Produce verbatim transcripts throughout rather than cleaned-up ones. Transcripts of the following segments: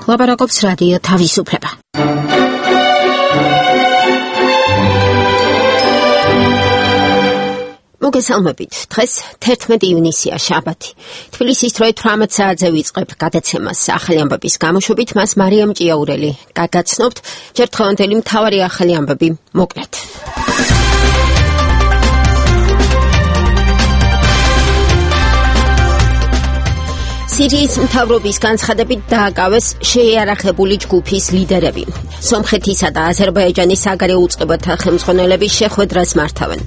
ლაპარაკობს რადიო თავისუფლება. მოგესალმებით. დღეს თერთმეტი ივნისია, შაბათი. თბილისის დროით თვრამეტ საათზე ვიწყებ გადაცემას ახალი ამბების გამოშვებით, მას მარიამ ჭიაურელი გაგაცნობთ. ჯერ დღევანდელი მთავარი ახალი ამბები მოკლედ. სირიის მთავრობის განცხადებით დააკავეს შეიარაღებული ჯგუფის ლიდერები. სომხეთისა და აზერბაიჯანის საგარეო უწყებათა ხელმძღვანელები შეხვედრას მართავენ.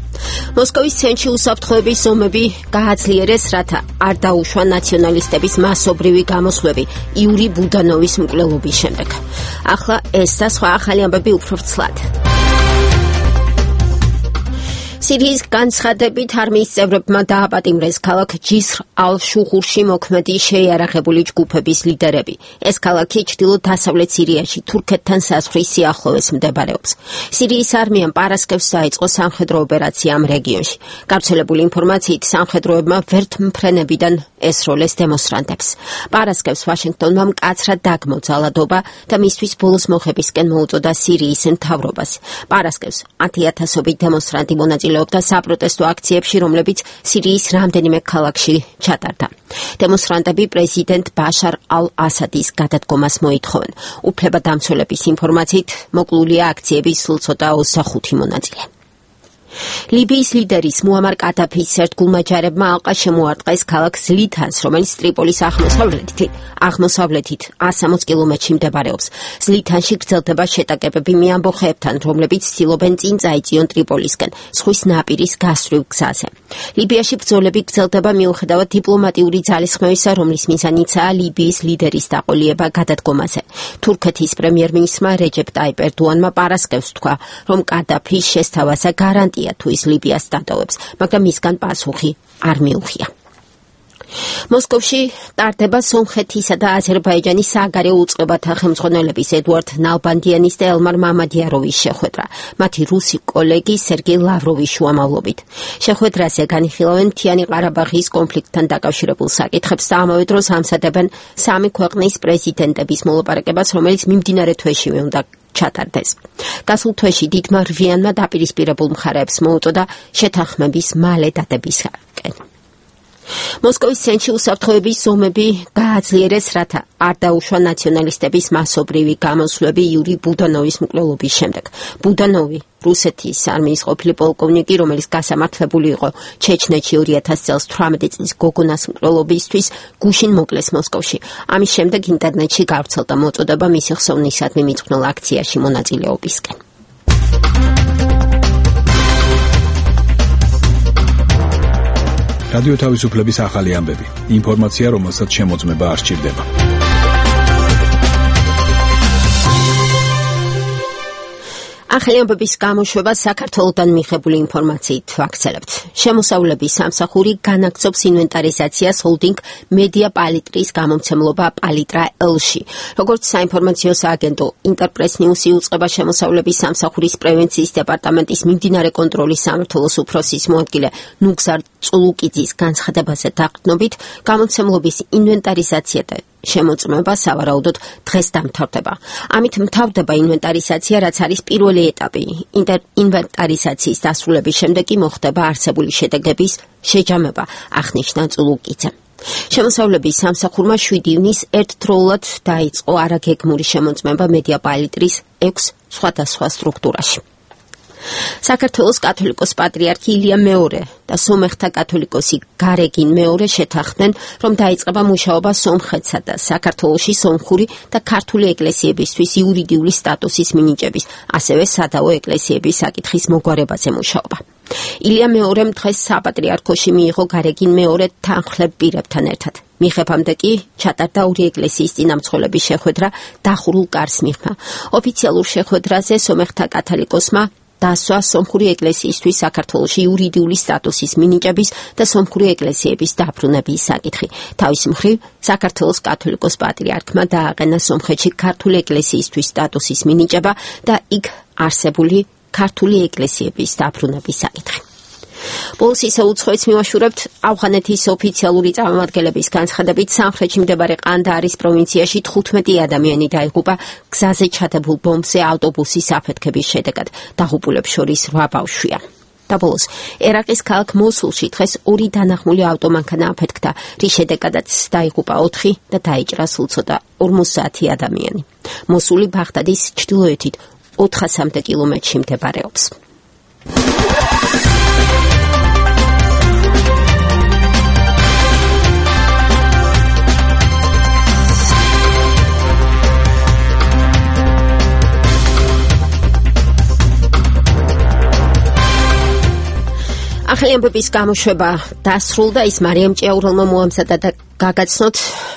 მოსკოვის ცენტრში უსაფრთხოების ზომები გააძლიერეს, რათა არ დაუშვა ნაციონალისტების მასობრივი გამოსვლები იური ბუდანოვის მკვლელობის შემდეგ. ახლა ეს და სხვა ახალი ამბები უფრო ვრცლად. სირიის განცხადებით არმიის წევრებმა დააპატიმრეს ქალაქ ჯისრ ალ-შუღურში მოქმედი შეიარაღებული ჯგუფების ლიდერები. ეს ქალაქი ჩრდილო-დასავლეთ სირიაში თურქეთთან საზღვრის სიახლოვეს მდებარეობს. სირიის არმიამ პარასკევს დაიწყო სამხედრო ოპერაცია ამ რეგიონში. გავრცელებული ინფორმაციით სამხედროებმა ვერტმფრენებიდან ესროლეს დემონსტრანტებს. პარასკევს ვაშინგტონმა მკაცრად დაგმო ძალადობა და მისთვის ბოლოს მოხებისკენ მოუწოდა სირიის მთავრობას. პარასკევს ათიათასობით დემონსტრანტი მონაწილეობდა და საპროტესტო აქციებში, რომლებიც სირიის რამდენიმე ქალაქში ჩატარდა. დემონსტრანტები პრეზიდენტ ბაშარ ალ-ასადის გადადგომას მოითხოვენ. უფლებადამცველების ინფორმაციით მოკლულია აქციების სულ ცოტა ოცდახუთი მონაწილე. ლიბიის ლიდერის მუამარ კადაფის ერთგულმა ჯარებმა ალყა შემოარტყეს ქალაქ ზლითანს, რომელიც ტრიპოლის აღმოსავლეთით აღმოსავლეთით ასამოც კილომეტრში მდებარეობს. ზლითანში გრძელდება შეტაკებები მე ამბოხეებთან, რომლებიც ცდილობენ წინ წაიწიონ ტრიპოლისკენ, ზღვის ნაპირის გასწვრივ გზაზე. ლიბიაში ბრძოლები გრძელდება მიუხედავად დიპლომატიური ძალისხმევისა, რომლის მიზანიცაა ლიბიის ლიდერის დაყოლიება გადადგომაზე. თურქეთის პრემიერ-მინისტრმა რეჯეპ ტაიპ ერდოანმა პარასკევს თქვა, რომ კადაფის შესთავაზა გარანტია თუ ის ლიბიას დატოვებს, მაგრამ მისგან პასუხი არ მიუღია. მოსკოვში ტარდება სომხეთისა და აზერბაიჯანის საგარეო უწყებათა ხელმძღვანელების ედუარდ ნალბანდიანის და ელმარ მამადიაროვის შეხვედრა, მათი რუსი კოლეგი სერგეი ლავროვის შუამავლობით. შეხვედრაზე განიხილავენ მთიანი ყარაბაღის კონფლიქტთან დაკავშირებულ საკითხებს და ამავე დროს ამზადებენ სამი ქვეყნის პრეზიდენტების მოლაპარაკებას, რომელიც მიმდინარე თვეშივე უნდა ჩატარდეს. გასულ თვეში დიდმა რვიანმა დაპირისპირებულ მხარეებს მოუწოდა შეთანხმების მალე დადებისკენ. მოსკოვის ცენტრში უსაფრთხოების ზომები გააძლიერეს, რათა არ დაუშვა ნაციონალისტების მასობრივი გამოსვლები იური ბუდანოვის მკვლელობის შემდეგ. ბუდანოვი რუსეთის არმიის ყოფილი პოლკოვნიკი, რომელიც გასამართლებული იყო ჩეჩნეთში ორი ათასი წელს თვრამეტი წლის გოგონას მკვლელობისთვის, გუშინ მოკლეს მოსკოვში. ამის შემდეგ ინტერნეტში გავრცელდა მოწოდება მისი ხსოვნისადმი მიწყვნილ აქციაში მონაწილეობისკენ. რადიო თავისუფლების ახალი ამბები. ინფორმაცია, რომელსაც შემოწმება არ სჭირდება. ახალი ამბების გამოშვება საქართველოდან მიღებული ინფორმაციით ვაგრძელებთ. შემოსავლების სამსახური განაგრძობს ინვენტარიზაციას ჰოლდინგ მედია პალიტრის გამომცემლობა პალიტრა ელში. როგორც საინფორმაციო სააგენტო ინტერპრეს ნიუსი უწყება შემოსავლების სამსახურის პრევენციის დეპარტამენტის მიმდინარე კონტროლის სამმართველოს უფროსის მოადგილე ნუგზარ წულუკიძის განცხადებაზე დაყრდნობით, გამომცემლობის ინვენტარიზაცია და შემოწმება სავარაუდოდ დღეს დამთავრდება. ამით მთავრდება ინვენტარიზაცია, რაც არის პირველი ეტაპი. ინვენტარიზაციის დასრულების შემდეგ კი მოხდება არსებული შედეგების შეჯამება, აღნიშნა წულუკიძემ. შემოსავლების სამსახურმა შვიდი ივნისს ერთდროულად დაიწყო არაგეგმური შემოწმება მედია პალიტრის ექვს სხვადასხვა სტრუქტურაში. საქართველოს კათოლიკოს პატრიარქი ილია მეორე და სომეხთა კათოლიკოსი გარეგინ მეორე შეთანხმდნენ, რომ დაიწყება მუშაობა სომხეთსა და საქართველოში სომხური და ქართული ეკლესიებისთვის იურიდიული სტატუსის მინიჭების, ასევე სადავო ეკლესიების საკითხის მოგვარებაზე მუშაობა. ილია მეორემ დღეს საპატრიარქოში მიიღო გარეგინ მეორე თანხლებ პირებთან ერთად. მიღებამდე კი ჩატარდა ორი ეკლესიის წინამძღოლების შეხვედრა დახურულ კარს მიღმა. ოფიციალურ შეხვედრაზე სომეხთა კათოლიკოსმა დასვა სომხური ეკლესიისთვის საქართველოში იურიდიული სტატუსის მინიჭების და სომხური ეკლესიების დაბრუნების საკითხი. თავის მხრივ, საქართველოს კათოლიკოს პატრიარქმა დააყენა სომხეთში ქართული ეკლესიისთვის სტატუსის მინიჭება და იქ არსებული ქართული ეკლესიების დაბრუნების საკითხი. ბოლოს ისე უცხოეთს მივაშურებთ ავღანეთის ოფიციალური წარმომადგენლების განცხადებით სამხრეთში მდებარე ყანდაარის პროვინციაში თხუთმეტი ადამიანი დაიღუპა გზაზე ჩადებულ ბომბზე ავტობუსის აფეთქების შედეგად. დაღუპულებს შორის რვა ბავშვია. და ბოლოს ერაყის ქალაქ მოსულში დღეს ორი დანახმული ავტომანქანა აფეთქდა, რის შედეგადაც დაიღუპა ოთხი და დაიჭრა სულ ცოტა ორმოცდაათი ადამიანი. მოსული ბაღდადის ჩრდილოეთით ოთხასამდე კილომეტრში მდებარეობს. ახალი ამბების გამოშვება დასრულდა, ის მარიამ ჭიაურელმა მოამზადა და გაგაცნოთ.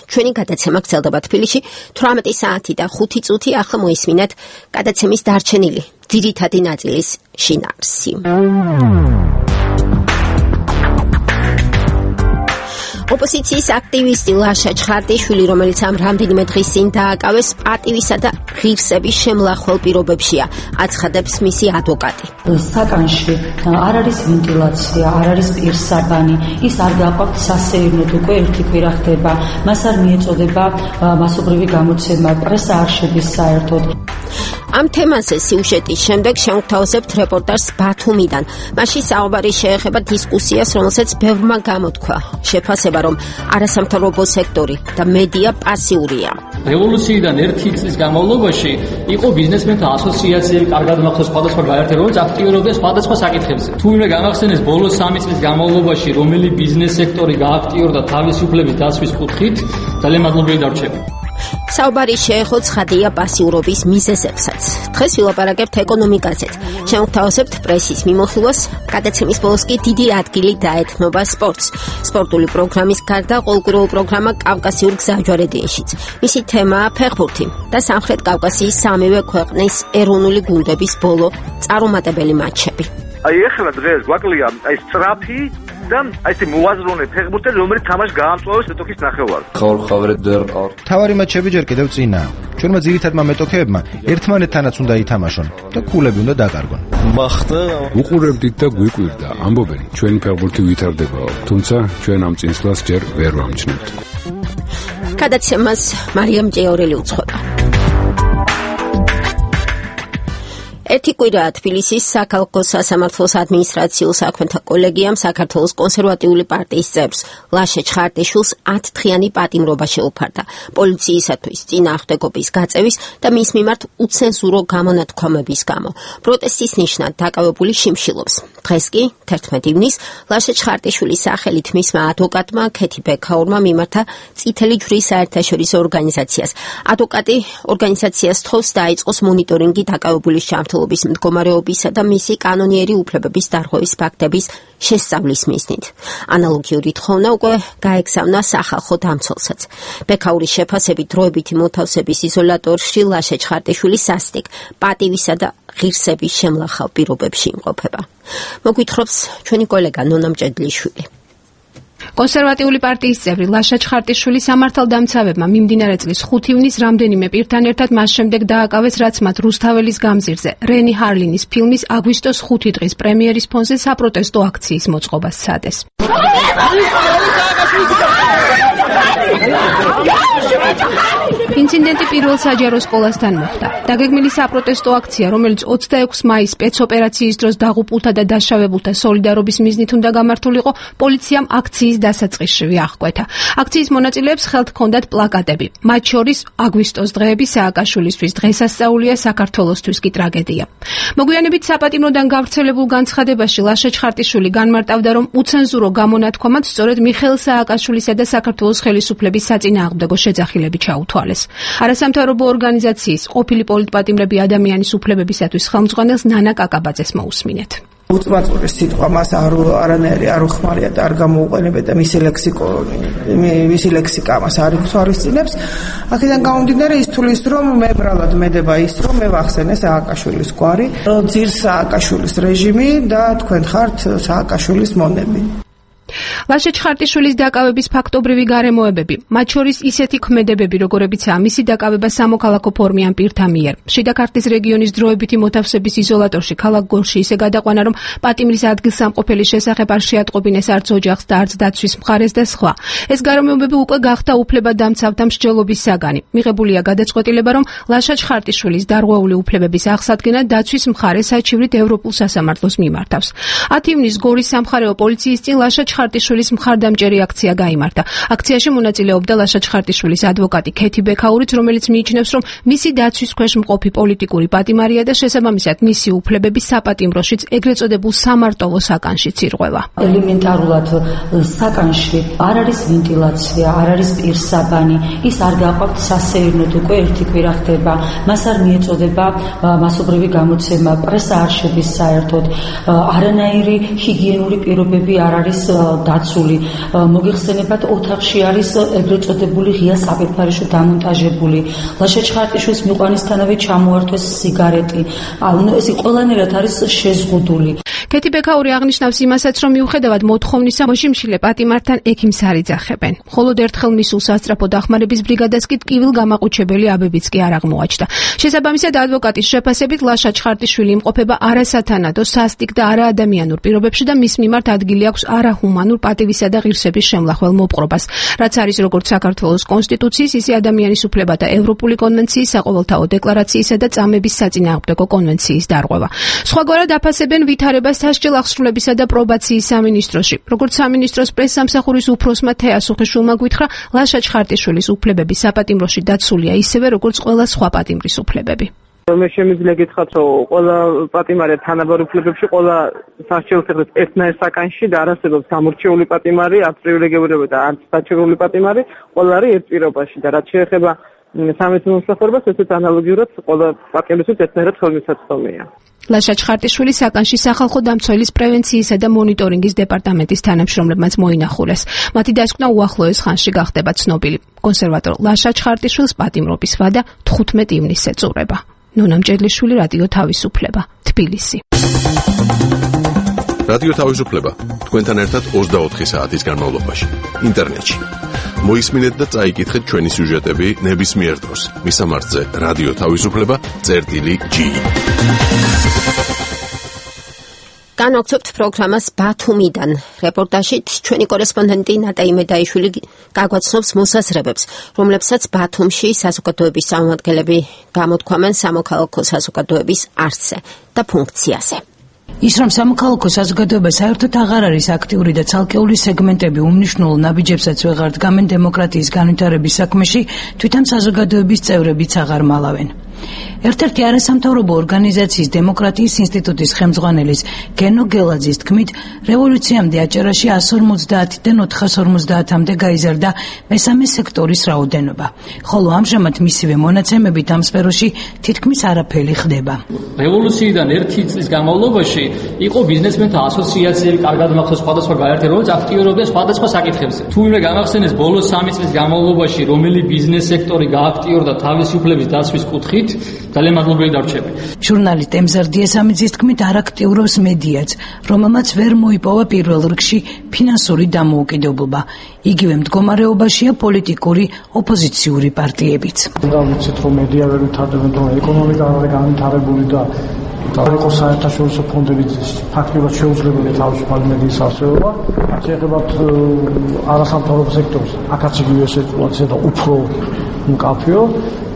ჩვენი გადაცემა გრძელდება თბილისში თვრამეტი საათი და ხუთი წუთი. ახლა მოისმინეთ გადაცემის დარჩენილი ძირითადი ნაწილის შინაარსი. ოპოზიციის აქტივისტი ლაშა ჩხარტიშვილი, რომელიც ამ რამდენიმე დღის წინ დააკავეს, პატივისა და ღირსების შემლახველ პირობებშია, აცხადებს მისი ადვოკატი. საკანში არ არის ვენტილაცია, არ არის პირსაბანი, ის არ გააყვავთ სასეირნოდ უკვე ერთი კვირა ხდება, მას არ მიეწოდება მასობრივი გამოცემა, პრესა არ შედის საერთოდ. ამ თემაზე სიუჟეტის შემდეგ შევთავაზებთ რეპორტაჟს ბათუმიდან. მასში საუბარი შეეხება დისკუსიას, რომელსაც ბევრმა გამოთქვა. შეფასება, რომ არასამთავრობო სექტორი და მედია პასიურია. რევოლუციიდან ერთი წლის განმავლობაში იყო ბიზნესმენთა ასოციაციები, კარგად მახსოვს სხვადასხვა გაერთიანება, რომელიც აქტიურობდა სხვადასხვა საკითხებზე. თუ ვინმე გამახსენებს ბოლოს სამი წლის განმავლობაში რომელი ბიზნეს სექტორი გააქტიურდა თავისუფლების დაცვის კუთხით, ძალიან მადლობელი დარჩება. საუბარი შეეხო ცხადია პასიურობის მიზეზებსაც. დღეს ვილაპარაკებთ ეკონომიკაზეც. შევთავაზებთ პრესის მიმოხილვას. გადაცემის ბოლოს კი დიდი ადგილი დაეთმობა სპორტს. სპორტული პროგრამის გარდა ყოველკვირეულ პროგრამა კავკასიურ გზაჯვარედინშიც. მისი თემაა ფეხბურთი და სამხრეთ კავკასიის სამივე ქვეყნის ეროვნული გუნდების ბოლო წარუმატებელი მატჩები. აი ეხლა დღეს გვაკლია აი სწრაფი და აი ეს მოაზროვნე ფეხბურთი, რომელიც თამაშს გაამწვავებს მეტოქის ნახევარს. ხაურ-ხავრეთ ვერ ყავ. თავარი მატჩები ჯერ კიდევ წინაა. ჩვენმა ძირითადმა მეტოქეებმა ერთმანეთთანაც უნდა ითამაშონ და ქულები უნდა დაკარგონ. მახტა უყურებდით და გვიკვირდა, ამბობენ, ჩვენი ფეხბურთი ვითარდებაო, თუმცა ჩვენ ამ წინსვლას ჯერ ვერ ვამჩნევთ. გადაცემას მარიამ ჭიაურელი უძღვება. ერთი კვირაა თბილისის საქალაქო სასამართლოს ადმინისტრაციულ საქმეთა კოლეგიამ საქართველოს კონსერვატიული პარტიის წევრს ლაშა ჩხარტიშვილს ათდღიანი პატიმრობა შეუფარდა პოლიციისათვის წინააღმდეგობის გაწევის და მის მიმართ უცენზურო გამონათქვამების გამო. პროტესტის ნიშნად დაკავებული შიმშილობს. დღეს კი თერთმეტი ივნის ლაშა ჩხარტიშვილის სახელით მისმა ადვოკატმა ქეთი ბექაურმა მიმართა წითელი ჯვრის საერთაშორისო ორგანიზაციას. ადვოკატი ორგანიზაციას თხოვს დაიწყოს მონიტორინგი დაკავებულის ჩართულობის მდგომარეობისა და მისი კანონიერი უფლებების დარღვევის ფაქტების შესწავლის მიზნით. ანალოგიური თხოვნა უკვე გაეგზავნა სახალხო დამცველსაც. ბექაურის შეფასებით დროებითი მოთავსების იზოლატორში ლაშა ჩხარტიშვილი სასტიკ, პატივისა და ღირსების შემლახავ პირობებში იმყოფება. მოგვითხრობს ჩვენი კოლეგა ნონა მჭედლიშვილი. კონსერვატიული პარტიის წევრი ლაშა ჩხარტიშვილი სამართალდამცავებმა მიმდინარე წლის ხუთი ივნის რამდენიმე პირთან ერთად მას შემდეგ დააკავეს, რაც მათ რუსთაველის გამზირზე რენი ჰარლინის ფილმის აგვისტოს ხუთი დღის პრემიერის ფონზე საპროტესტო აქციის მოწყობას სცადეს. ინციდენტი პირველ საჯარო სკოლასთან მოხდა. დაგეგმილი საპროტესტო აქცია, რომელიც ოცდაექვსი მაისს სპეცოპერაციის დროს დაღუპულთა და დაშავებულთა სოლიდარობის მიზნით უნდა გამართულიყო, პოლიციამ აქციის დასაწყისშივე აღკვეთა. აქციის მონაწილეებს ხელთ ჰქონდათ პლაკატები. მათ შორის აგვისტოს დღეები სააკაშვილისთვის დღესასწაულია, საქართველოსთვის კი ტრაგედია. მოგვიანებით საპატიმროდან გავრცელებულ განცხადებაში ლაშა ჩხარტიშვილი განმარტავდა, რომ უცენზურო გამონათქვამად სწორედ მიხეილ სააკაშვილისა და საქართველოს ხელისუფლების საწინააღმდეგო შეძახილები ჩაუთვალეს. არასამთავრობო ორგანიზაციის ყოფილი პოლიტპატიმრები ადამიანის უფლებებისათვის ხელმძღვანელს ნანა კაკაბაძეს მოусმინეთ. უწმაწური სიტყვა მას არ არანაირი არ უხმარია და არ გამოუყენებია და მისი ლექსიკონი მისი ლექსიკა მას არ ითვალისწინებს. აქედან გამომდინარე ის თulis რომ მე ბრალად მედება ის რომ მე ვახსენე სააკაშვილის გვარი, ძირს სააკაშვილის რეჟიმი და თქვენ ხართ სააკაშვილის მონები. ლაშა ჩხარტიშვილის დაკავების ფაქტობრივი გარემოებები, მათ შორის ისეთი ქმედებები, როგორებიცაა მისი დაკავება სამოქალაქო ფორმიან პირთა მიერ. შიდა ქართლის რეგიონის დროებითი მოთავსების იზოლატორში ქალაქ გორში ისე გადაყვანა, რომ პატიმრის ადგილსამყოფელის შესახებ არ შეატყობინეს არც ოჯახს და არც დაცვის მხარეს და სხვა. ეს გარემოებები უკვე გახდა უფლებადამცავთა მსჯელობის საგანი. მიღებულია გადაწყვეტილება, რომ ლაშა ჩხარტიშვილის დარღვეული უფლებების აღსადგენა დაცვის მხარე საჩივრით ევროპულ სასამართლოს მიმართავს. ათი ივნის გორის სამხარეო პოლიციის წინ ლაშა ჩხარტიშვილის მხარდამჭერი აქცია გაიმართა. აქციაში მონაწილეობდა ლაშა ჩხარტიშვილის ადვოკატი ქეთი ბექაურიც, რომელიც მიიჩნევს, რომ მისი დაცვის ქვეშ მყოფი პოლიტიკური პატიმარია და შესაბამისად მისი უფლებები საპატიმროშიც ეგრეთ წოდებულ სამარტოვო საკანშიც ირღვევა. ელემენტარულად საკანში არ არის ვენტილაცია, არ არის პირსაბანი, ის არ გააყვავთ სასეირნოდ უკვე ერთი კვირა ხდება. მას არ მიეწოდება მასობრივი გამოცემა, პრესა არ შედის საერთოდ, არანაირი ჰიგიენური პირობები არ არის დაცული. მოგიხსენებათ, ოთახში არის ეგრეთ წოდებული ღია საფერფარეში დამონტაჟებული. ლაშა ჩხარტიშვილის მიყვანისთანავე ჩამოართვეს სიგარეტი. ანუ ეს ყველანაირად არის შეზღუდული. ქეთი ბექაური აღნიშნავს იმასაც, რომ მიუხედავად მოთხოვნისა, მოშიმშილე პატიმართან ექიმს არ იძახებენ. მხოლოდ ერთხელ მისულ სასწრაფო დახმარების ბრიგადას კი ტკივილგამაყუჩებელი აბებიც კი არ აღმოაჩნდა. შესაბამისად, ადვოკატის შეფასებით ლაშა ჩხარტიშვილი იმყოფება არასათანადო, სასტიკ და არაადამიანურ პირობებში და მის მიმართ ადგილი აქვს არაჰუმანურ პატივისა და ღირსების შემლახველ მოპყრობას, რაც არის როგორც საქართველოს კონსტიტუციის, ისე ადამიანის უფლებათა ევროპული კონვენციის, საყოველთაო დეკლარაციისა და წამების საწინააღმდეგო კონვენციის დარღვევა. სხვაგვარად აფასებენ ვითარებას სასჯელ აღსრულებისა და პრობაციის სამინისტროში. როგორც სამინისტროს პრესსამსახურის უფროსმა თეასუხიშვილმა გვითხრა, ლაშა ჩხარტიშვილის უფლებები საპატიმროში დაცულია ისევე, როგორც ყველა სხვა პატიმრის უფლებები. მე შემიძლია გითხრათ, რომ ყველა პატიმარია თანაბარ უფლებებში, ყველა სასჯელს ეხება ერთნაირ საკანში და არ არსებობს გამორჩეული პატიმარი, არც პრივილეგირებული და არც საჩივრული პატიმარი, ყველა არის ერთ პირობაში და რაც შეეხება სამეცნიერო მომსახურებას, ესეც ანალოგიურად ყველა პატიმრისთვის ერთნაირად ხელმისაწვდომია. ლაშა ჩხარტიშვილი საკანში სახალხო დამცველის პრევენციისა და მონიტორინგის დეპარტამენტის თანამშრომლებმაც მოინახულეს. მათი დასკვნა უახლოეს ხანში გახდება ცნობილი. კონსერვატორ ლაშა ჩხარტიშვილს პატიმრობის ვადა თხუთმეტ ივნისს ეწურება. ნონა მჭედლიშვილი, რადიო თავისუფლება, თბილისი. რადიო თავისუფლება თქვენთან ერთად ოცდაოთხი საათის განმავლობაში ინტერნეტში. მოისმინეთ და წაიკითხეთ ჩვენი სიუჟეტები ნებისმიერ დროს. მისამართზე რადიო თავისუფლება წერტილი ჯი. განვაგრძობთ პროგრამას ბათუმიდან. რეპორტაჟით ჩვენი კორესპონდენტი ნატა იმედაიშვილი გაგვაცნობს მოსაზრებებს, რომლებსაც ბათუმში საზოგადოების წარმომადგენლები გამოთქვამენ სამოქალაქო საზოგადოების არსზე და ფუნქციაზე. ის რომ სამოქალაქო საზოგადოება საერთოდ აღარ არის აქტიური და ცალკეული სეგმენტები უმნიშვნელო ნაბიჯებსაც ვეღარ დგამენ დემოკრატიის განვითარების საქმეში, თვითონ საზოგადოების წევრებიც აღარ მალავენ. ერთ-ერთი არასამთავრობო ორგანიზაციის დემოკრატიის ინსტიტუტის ხელმძღვანელის გენო გელაძის თქმით, რევოლუციამდე აჭარაში εκατს ორმოცდაათიდან ოთხას ორმოცდაათამდე გაიზარდა მესამე სექტორის რაოდენობა, ხოლო ამჟამად მისივე მონაცემებით ამ სფეროში თითქმის არაფერი ხდება. რევოლუციიდან ერთი წლის განმავლობაში იყო ბიზნესმენთა ასოციაციები, კარგად მახსოვს სხვადასხვა გაერთიანება, რომელიც აქტიურობდა სხვადასხვა საკითხებზე. თუ ვინმე გამახსენეს ბოლოს სამი წლის განმავლობაში რომელი ბიზნეს სექტორი გააქტიურდა თავისი უფლების დაცვის კუთხით, ძალიან მადლობელი დარჩები. ჟურნალისტ ემზარ დიესამიძის თქმით, არ აქტიურობს მედიაც, რომელმაც ვერ მოიპოვა პირველ რიგში ფინანსური დამოუკიდებლობა. იგივე მდგომარეობაშია პოლიტიკური ოპოზიციური პარტიებიც. დავიცით, რომ მედია ვერ ვითარდება, რომ ეკონომიკა არ არის განვითარებული და იყო საერთაშორისო ფონდებით ფაქტობრივად შეუძლებელი თავისუფალი მედიის არსებობა. შეეხებათ არასამთავრობო სექტორს, აქაც იგივე სიტუაცია და უფრო მკაფიო.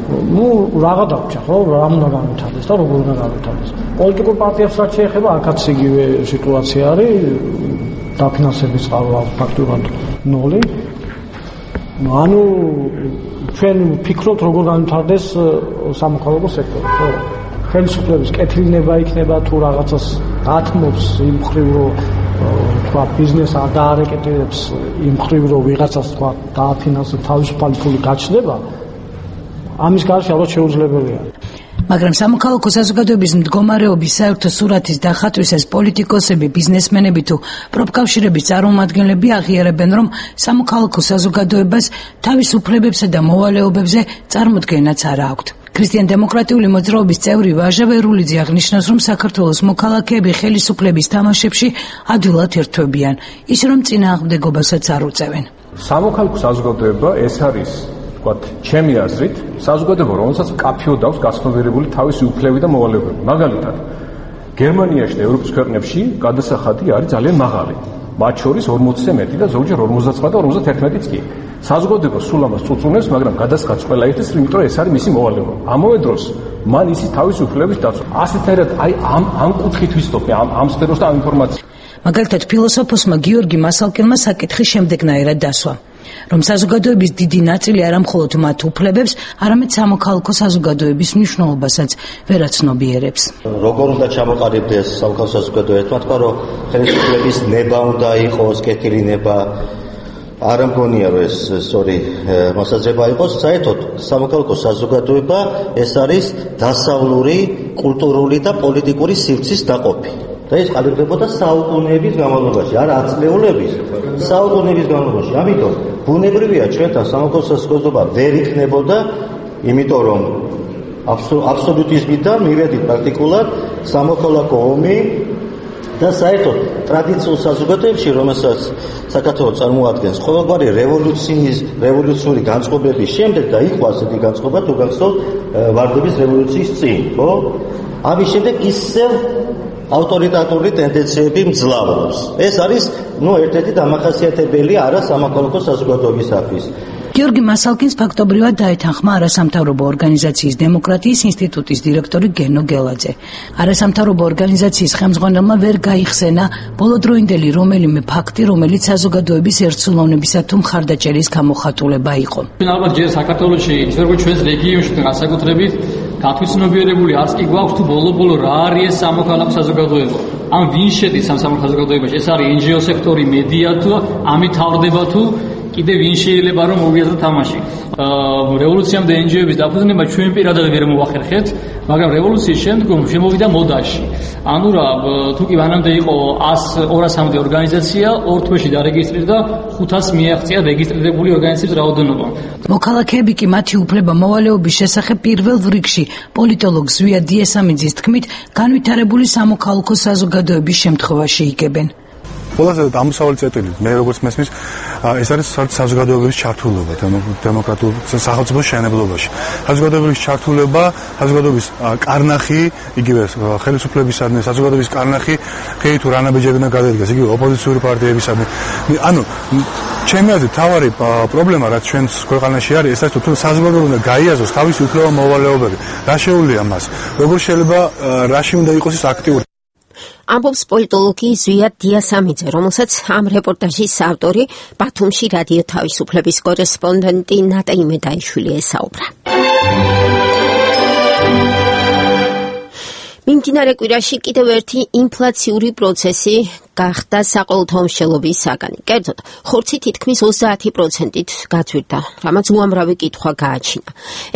ну რაღა დავჭა ხო რა უნდა განვითარდეს და როგორ უნდა განვითარდეს. პოლიტიკურ პარტიებს რაც შეეხება, აქაც იგივე სიტუაცია არის, დაფინანსების წყარო ფაქტობრივად ნული. ანუ ჩვენ ვფიქრობთ როგორ განვითარდეს სამოქალაქო სექტორი, ხო? ხელისუფლების კეთილნება იქნება თუ რაღაცას ათმობს იმ მხრივ რომ თქვა ბიზნეს არ დაარეკეტებს იმ მხრივ რომ ვიღაცას თქვა დააფინანსებს თავისუფალი ფული გაჩნდება, ამის გარშე ალბათ შეუძლებელია. მაგრამ სამოქალაქო საზოგადოების მდგომარეობის საერთო სურათის დახატვისას პოლიტიკოსები, ბიზნესმენები თუ პროფკავშირების წარმომადგენლები აღიარებენ, რომ სამოქალაქო საზოგადოებას თავის უფლებებსა და მოვალეობებზე წარმოდგენაც არ აქვთ. ქრისტიან-დემოკრატიული მოძრაობის წევრი ვაჟა ვერულიძე აღნიშნავს, რომ საქართველოს მოქალაქეები ხელისუფლების თამაშებში ადვილად ერთვებიან, ის რომ წინააღმდეგობასაც არ უწევენ. სამოქალაქო საზოგადოება ეს არის, ვთქვათ, ჩემი აზრით, საზოგადოება, რომელსაც მკაფიოდ აქვს გაცნობიერებული თავისი უფლებები და მოვალეობები. მაგალითად, გერმანიაში და ევროპის ქვეყნებში გადასახადი არის ძალიან მაღალი. მათ შორის ორმოცზე მეტი და ზოგჯერ ორმოცდაცხრა და ორმოცდაერთმეტიც კი. საზოგადოება სულ ამას წუწუნებს, მაგრამ გადასახადს ყველა იხდის, იმიტომ რომ ეს არის მისი მოვალეობა. ამავე დროს მან ისი თავისი უფლებების დაცვა. ასეთერად აი ამ ამ კუთხით ვისწრაფე ამ ამ სფეროს და ამ ინფორმაციას. მაგალითად, ფილოსოფოსმა გიორგი მასალკინმა საკითხი შემდეგნაირად დასვა, რომ საზოგადოების დიდი ნაწილი არა მხოლოდ მათ უფლებებს, არამედ სამოქალაქო საზოგადოების მნიშვნელობასაც ვერ აცნობიერებს. როგორ უნდა ჩამოყალიბდეს სამოქალაქო საზოგადოება? თქვა თქვა რომ ხელისუფლების ნება უნდა იყოს, კეთილი ნება. არ მგონია რომ ეს სწორი მოსაზრება იყოს. საერთოდ სამოქალაქო საზოგადოება ეს არის დასავლური, კულტურული და პოლიტიკური სივრცის დაყოფი. და ეს ყალიბდებოდა საუკუნეების განმავლობაში, არა ათწლეულების, საუკუნეების განმავლობაში. ამიტომ ბუნებრივია ჩვენთან სამოქალაქო საზოგადოება ვერ იქნებოდა, იმიტომ რომ აბსოლუტიზმიდან მივედით პრაქტიკულად სამოქალაქო ომი და საერთოდ ტრადიციულ საზოგადოებაში, რომელსაც საქართველოს წარმოადგენს ყოველგვარი რევოლუციის, რევოლუციური განწყობების შემდეგ და იყო ასეთი განწყობა თუ გახსოვთ ვარდების რევოლუციის წინ, ხო? ამის შემდეგ ისევ ავტორიტარული ტენდენციები მძლავრობს. ეს არის, ну, ერთ-ერთი დამახასიათებელი არა სამოქალაქო საზოგადოებისათვის. გიორგი მასალკინს ფაქტობრივად დაეთანხმა არასამთავრობო ორგანიზაციის დემოკრატიის ინსტიტუტის დირექტორი გენო გელაძე. არასამთავრობო ორგანიზაციის ხელმძღვანელმა ვერ გაიხსენა ბოლოდროინდელი რომელიმე ფაქტი, რომელიც საზოგადოების ერთსულოვნებისა თუ მხარდაჭერის გამოხატულება იყო. ალბათ ჯერ საქართველოში, ისე როგორც ჩვენს რეგიონში განსაკუთრებით გათვითცნობიერებული არც კი გვაქვს თუ ბოლო-ბოლო რა არის ეს სამოქალაქო საზოგადოება. ამ ვინ შედის ამ სამოქალაქო საზოგადოებაში? ეს არის ენ ჯი ო სექტორი, მედია თუ ამით თავდება თუ კიდე ვინ შეიძლება რომ მოვიაზროთ თამაში. რევოლუციამდე ენ ჯი ო-ების დაფუძნება ჩვენ პირადად ვერ მოახერხეთ, მაგრამ რევოლუციის შემდგომ შემოვიდა მოდაში. ანუ რა, თუ კი მანამდე იყო ორასამდე ორგანიზაცია, ორ თვეში დარეგისტრირდა ხუთას მიაღწია რეგისტრირებული ორგანიზაციების რაოდენობა. მოქალაქეები კი მათი უფლება მოვალეობის შესახებ პირველ რიგში პოლიტოლოგ ზვია დიესამიძის თქმით, განვითარებული სამოქალაქო საზოგადოების შემთხვევაში იგებენ. ყველაზე ამსავალი წერტილი მე როგორც მესმის ეს არის საზოგადოების ჩართულობა დემოკრატიულ სახელმწიფოს შეენებლობაში. საზოგადოების ჩართულობა, საზოგადოების კარნახი, იგივე ხელისუფლებისადმი საზოგადოების კარნახი, ხეი თუ რანაბიჯები უნდა გადადგეს, იგივე ოპოზიციური პარტიებისადმი. ანუ ჩემი აზრით თავარი პრობლემა რაც ჩვენს ქვეყანაში არის, ეს არის თუ საზოგადოება უნდა გაიაზროს თავისი უფლება მოვალეობები. რა შეუძლია მას? როგორ შეიძლება რაში უნდა იყოს ის აქტიური? ამბობს პოლიტოლოგი ზვია დიასამიძე, რომელსაც ამ რეპორტაჟის ავტორი ბათუმში რადიო თავისუფლების კორესპონდენტი ნატა იმედაიშვილი ესაუბრა. მიმდინარე კვირაში კიდევ ერთი ინფლაციური პროცესი გახდა საყოველთაო მშელობის საგანი. კერძოდ, ხორცი თითქმის ოცდაათი პროცენტით გაძვირდა, რამაც უამრავი კითხვა გააჩინა.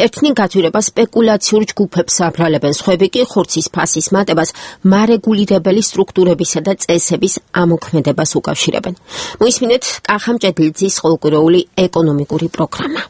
ერთნი გაძვირება სპეკულაციურ ჯგუფებს აბრალებენ, სხვები კი ხორცის ფასის მატებას მარეგულირებელი სტრუქტურებისა და წესების ამოქმედებას უკავშირებენ. მოისმინეთ კახა მჭედლიძის ყოველკვირეული ეკონომიკური პროგრამა.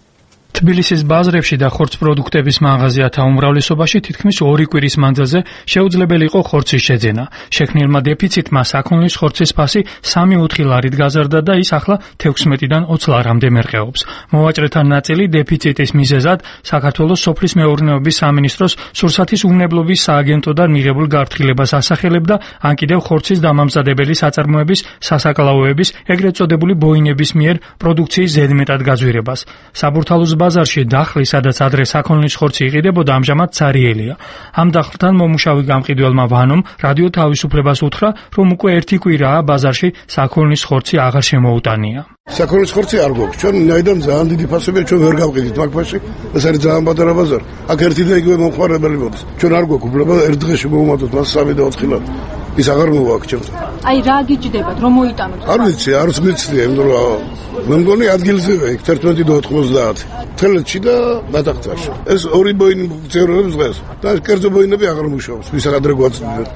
თბილისის ბაზრებში და ხორც პროდუქტების მაღაზიათა უმრავლესობაში თითქმის ორი კვირის მანძილზე შეუძლებელი იყო ხორცის შეძენა. შექმნილმა დეფიციტმა საქონლის ხორცის ფასი სამი ოთხი ლარით გაზარდა და ის ახლა თექვსმეტიდან ოცი ლარამდე მერყეობს. მოვაჭრეთა ნაწილი დეფიციტის მიზეზად საქართველოს სოფლის მეურნეობის სამინისტროს სურსათის უნებლობის სააგენტოდან მიღებულ გაფრთხილებას ასახელებდა, ან კიდევ ხორცის დამამზადებელი საწარმოების, სასაკლაოების, ეგრეთ წოდებული ბოინების მიერ პროდუქციის ზედმეტად გაძვირებას. საბურთალოს ბაზარში დახლი, სადაც ადრე საქონლის ხორცი იყიდებოდა, ამჟამად ცარიელია. ამ დახლთან მომუშავე გამყიდველმა ვანომ რადიო თავისუფლებას უთხრა, რომ უკვე ერთი კვირაა ბაზარში საქონლის ხორცი აღარ შემოუტანია. საქონლის ხორცი არ გვაქვს. ჩვენ ნაიდან ძალიან დიდი ფასებია, ჩვენ ვერ გავყიდით მაგ ფასში. ეს არის ძალიან პატარა ბაზარი. აქ ერთი და იგივე მომხმარებელი მოდის. ჩვენ არ გვაქვს უფლება ერთ დღეში მოვუმატოთ მას სამი და ოთხი ლარი. ის აღარ მოვაქვს ჩემთან. აი რა გიჯდებათ, რომ მოიტანოთ? არ ვიცი, არც მიცდია, იმიტომ რომ მე მგონი ადგილზევე იქ ერთმეტი და ოთხმოცდაათი. თელეთში და ბატახტაში. ეს ორი ბოინი ფუნქციონირებს დღეს. და კერძო ბოინები აღარ მუშაობს, ვისაც ადრე გვაწვდით.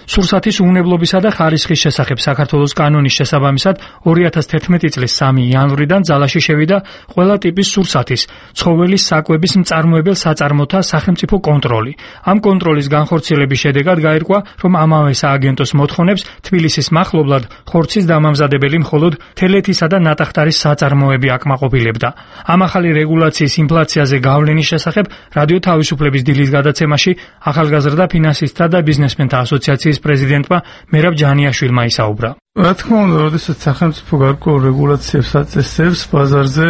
სურსათის უვნებლობისა და ხარისხის შესახებ საქართველოს კანონის შესაბამისად ორი ათას თერთმეტი წლის სამი იანვრიდან ძალაში შევიდა ყველა ტიპის სურსათის, ცხოველის საკვების მწარმოებელ საწარმოთა სახელმწიფო კონტროლი. ამ კონტროლის განხორციელების შედეგად გაირკვა, რომ ამავე სააგენტოს მოთხოვნებს თბილისის მახლობლად ხორცის დამამზადებელი მხოლოდ თელეთისა და ნატახტარის საწარმოები აკმაყოფილებდა. ამ ახალი რეგულაციის ინფლაციაზე გავლენის შესახებ რადიო თავისუფლების დილის გადაცემაში ახალგაზრდა ფინანსისტთა და ბიზნესმენთა ასოციაციის პრეზიდენტმა მერაბ ჯანიაშვილმა ისაუბრა. რა თქმა უნდა, როდესაც სახელმწიფო გარკვეულ რეგულაციებს აწესებს, ბაზარზე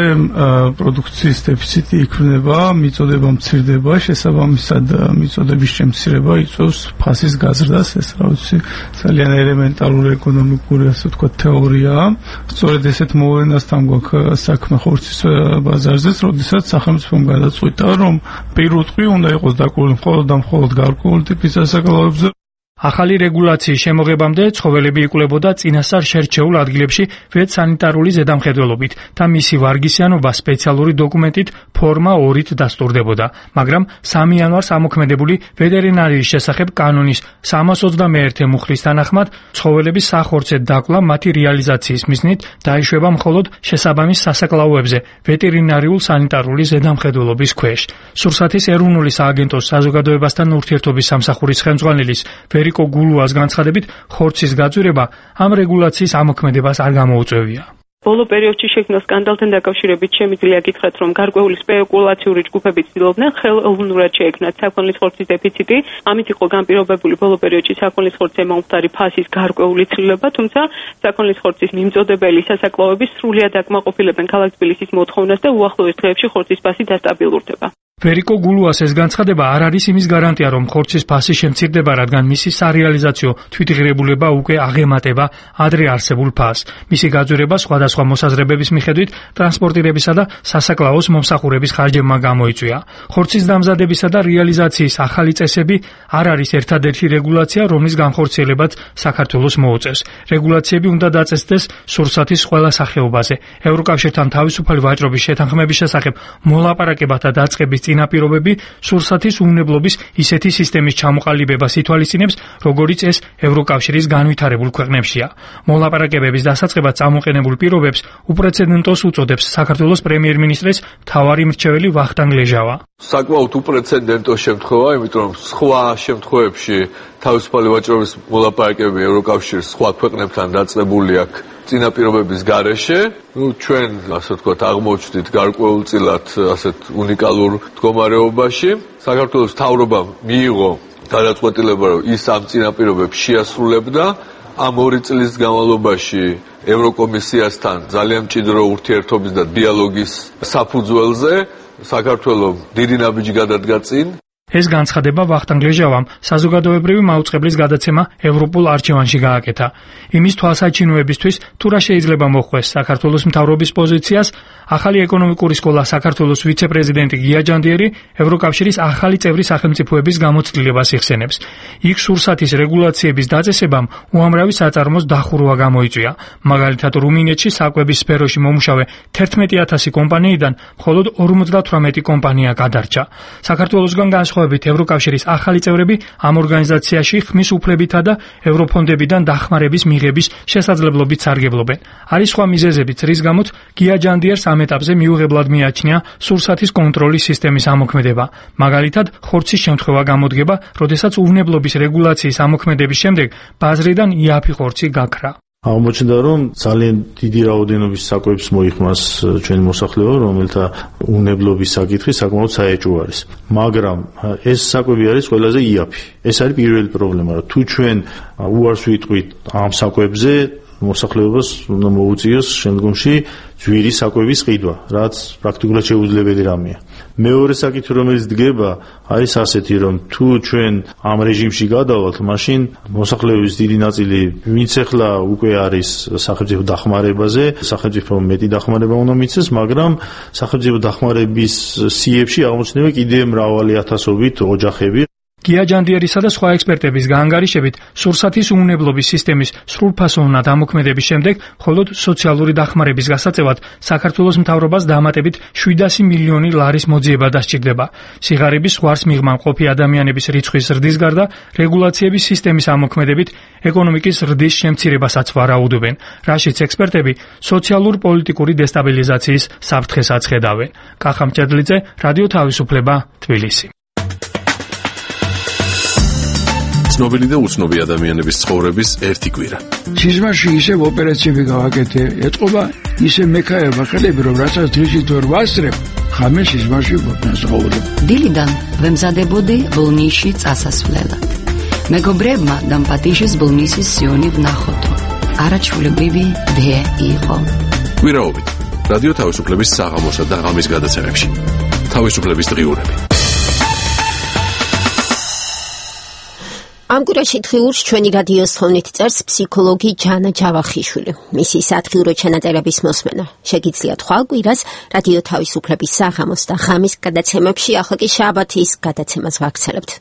პროდუქციის დეფიციტი იქმნება, მიწოდება მცირდება, შესაბამისად მიწოდების შემცირება იწვევს ფასის გაზრდას, ეს რა ვიცი, ძალიან ელემენტარული ეკონომიკური, ასე ვთქვათ, თეორიაა. სწორედ ესეთ მოვლენასთან გვაქვს საქმე ხორცის ბაზარზეც, როდესაც სახელმწიფომ გადაწყვიტა, რომ პირუტყვი უნდა იყოს დაკვირვებული მხოლოდ და მხოლოდ გარკვეული ტიპის სასაკლაოებზე. ახალი რეგულაციის შემოღებამდე ცხოველები იკვლევოდა წინასწარ შერჩეულ ადგილებში ვეტსანიტარული ზედამხედველობით და მისი ვარგისიანობა სპეციალური დოკუმენტით ფორმა ორით დასტურდებოდა, მაგრამ სამი იანვარს ამოქმედებული ვეტერინარიის შესახებ კანონის სამას ოცდამეერთე მუხლის თანახმად ცხოველების სახორცე დაკლა მათი რეალიზაციის მიზნით დაიშვება მხოლოდ შესაბამის სასაკლაოებზე ვეტერინარიულ სანიტარული ზედამხედველობის ქვეშ. სურსათის ეროვნული სააგენტოს საზოგადოებასთან ურთიერთობის სამსახურის ხელმძღვანელის ვერიკო გულუას განცხადებით, ხორცის გაძვირება ამ რეგულაციის ამოქმედებას არ გამოუწვევია. ბოლო პერიოდში შექმნილ სკანდალთან დაკავშირებით შემიძლია გითხრათ, რომ გარკვეული სპეკულაციური ჯგუფები ცდილობდნენ ხელოვნურად შეექმნათ საქონლის ხორცის დეფიციტი. ამით იყო განპირობებული ბოლო პერიოდში საქონლის ხორცზე მომხდარი ფასის გარკვეული ცვლილება, თუმცა საქონლის ხორცის მიმწოდებელი სასაკლაოები სრულად აკმაყოფილებენ ქალაქ თბილისის მოთხოვნას და უახლოეს დღეებში ხორცის ფასი დასტაბილურდება. ვერიკო გულუას ეს განცხადება არ არის იმის გარანტია, რომ ხორცის ფასი შემცირდება, რადგან მისი სარეალიზაციო თვითღირებულება უკვე აღემატება ადრე არსებულ ფასს. მისი გაძვირება სხვადასხვა მოსაზრებების მიხედვით ტრანსპორტირებისა და სასაკლაოს მომსახურების ხარჯებმა გამოიწვია. ხორცის დამზადებისა და რეალიზაციის ახალი წესები არ არის ერთადერთი რეგულაცია, რომლის განხორციელებაც საქართველოს მოუწევს. რეგულაციები უნდა დაწესდეს სურსათის ყველა სახეობაზე. ევროკავშირთან თავისუფალი ვაჭრობის შეთანხმების შესახებ მოლაპარაკებათა დაწყების წინაპირობები სურსათის უვნებლობის ისეთი სისტემის ჩამოყალიბებას ითვალისწინებს, როგორიც ეს ევროკავშირის განვითარებულ ქვეყნებშია. მოლაპარაკებების დასაწყებად წამოყენებულ პირობებს უპრეცედენტოს უწოდებს საქართველოს პრემიერ-მინისტრის მთავარი მრჩეველი ვახტანგ ლეჟავა. საკმაოდ უპრეცედენტო შემთხვევა, იმიტომ რომ სხვა შემთხვევებში თავისუფალი ვაჭრობის მოლაპარაკებები ევროკავშირის სხვა ქვეყნებთან დაწყებული აქვს წინაპირობების გარეშე. ნუ ჩვენ, ასე ვთქვათ, აღმოჩნდით გარკვეულწილად ასეთ უნიკალურ მდგომარეობაში. საქართველოს მთავრობამ მიიღო გადაწყვეტილება, რომ ის ამ წინაპირობებს შეასრულებდა. ამ ორი წლის განმავლობაში ევროკომისიასთან ძალიან მჭიდრო ურთიერთობის და დიალოგის საფუძველზე საქართველოს დიდი ნაბიჯი გადადგა წინ. ეს განცხადება ვახტანგ ლეჟავამ საზოგადოებრივი მაუწყებლის გადაცემა ევროპულ არჩევანში გააკეთა. იმის თვალსაჩინოებისთვის თუ რა შეიძლება მოხვდეს საქართველოს მთავრობის პოზიციას, ახალი ეკონომიკური სკოლა საქართველოს ვიცე-პრეზიდენტი გია ჯანდიერი ევროკავშირის ახალი წევრი სახელმწიფოების გამოცდილებას იხსენებს. იქ სურსათის რეგულაციების დაწესებამ უამრავი საწარმოს დახურვა გამოიწვია. მაგალითად, რუმინეთში საკვების სფეროში მომუშავე თერთმეტი ათასი კომპანიიდან მხოლოდ ორმოცდათვრამეტი კომპანია გადარჩა. საქართველოსგან განსხვავებით ევროკავშირის ახალი წევრები ამ ორგანიზაციაში ხმის უფლებითა და ევროფონდებიდან დახმარების მიღების შესაძლებლობით სარგებლობენ. არის სხვა მიზეზებიც, რის გამოც გია ჯანდიერს ამ ეტაპზე მიუღებლად მიაჩნია სურსათის კონტროლის სისტემის ამოქმედება. მაგალითად, ხორცის შემთხვევა გამოდგება, როდესაც უვნებლობის რეგულაციის ამოქმედების შემდეგ ბაზრიდან იაფი ხორცი გაქრა. აღმოჩნდა, რომ ძალიან დიდი რაოდენობის საკვებს მოიხმას ჩვენი მოსახლეობა, რომელთა უვნებლობის საკითხი საკმაოდ საეჭვო არის. მაგრამ ეს საკვები არის ყველაზე იაფი. ეს არის პირველი პრობლემა, რომ თუ ჩვენ უარს ვიტყვით ამ საკვებზე, მოსახლეობას უნდა მოუწიოს შემდგომში ძვირი საკვების ყიდვა, რაც პრაქტიკულად შეუძლებელი რამეა. მეორე საკითხი, რომელიც დგება, არის ასეთი, რომ თუ ჩვენ ამ რეჟიმში გადავალთ, მაშინ მოსახლეობის დიდი ნაწილი, ვინც ახლა უკვე არის სახელმწიფო დახმარებაზე, სახელმწიფო მეტი დახმარება უნდა მიცეს, მაგრამ სახელმწიფო დახმარების სიებში აღმოჩნდება კიდევ მრავალი ათასობით ოჯახები. გია ჯანდიერისა და სხვა ექსპერტების გაანგარიშებით, სურსათის უვნებლობის სისტემის სრულფასოვნად ამოქმედების შემდეგ, მხოლოდ სოციალური დახმარების გასაწევად საქართველოს მთავრობას დამატებით შვიდასი მილიონი ლარის მოძიება დასჭირდება. სიღარიბის ზღვარს მიღმა მყოფი ადამიანების რიცხვის ზრდის გარდა, რეგულაციების სისტემის ამოქმედებით ეკონომიკის ზრდის შემცირებასაც ვარაუდობენ, რაშიც ექსპერტები სოციალურ-პოლიტიკური დესტაბილიზაციის საფრთხესაც ხედავენ. კახა მჭედლიძე, რადიო თავისუფლება, თბილისი. ცნობილი და უცნობი ადამიანების ცხოვრების ერთი კვირა. სიზმარში ისევ ოპერაციები გავაკეთე, ეთყობა ისე მექაერმა ხელები, რომ რასაც დღისით ვერ ვასწრებ, ხამე სიზმარში ვფასაუბრებ. დილიდან ვემზადებოდი ბოლნისში წასასვლელად. მეგობრებმა დამპატიშის ბოლნისის სიონი ვნახოთო. არაჩვეულებრივი დე იყო. კვირაობით რადიო თავისუფლების საღამოსა და ღამის გადაცემებში. თავისუფლების დღიურები. ამ კვირაში დღიურს ჩვენი რადიოს თხოვნით წერს ფსიქოლოგი ჯანა ჯავახიშვილი. მისი სათხიურო ჩანაწერების მოსმენა შეგიძლიათ ხვალ კვირას რადიო თავისუფლების საღამოს და ღამის გადაცემებში, ახლა კი შაბათის გადაცემას ვაგრძელებთ.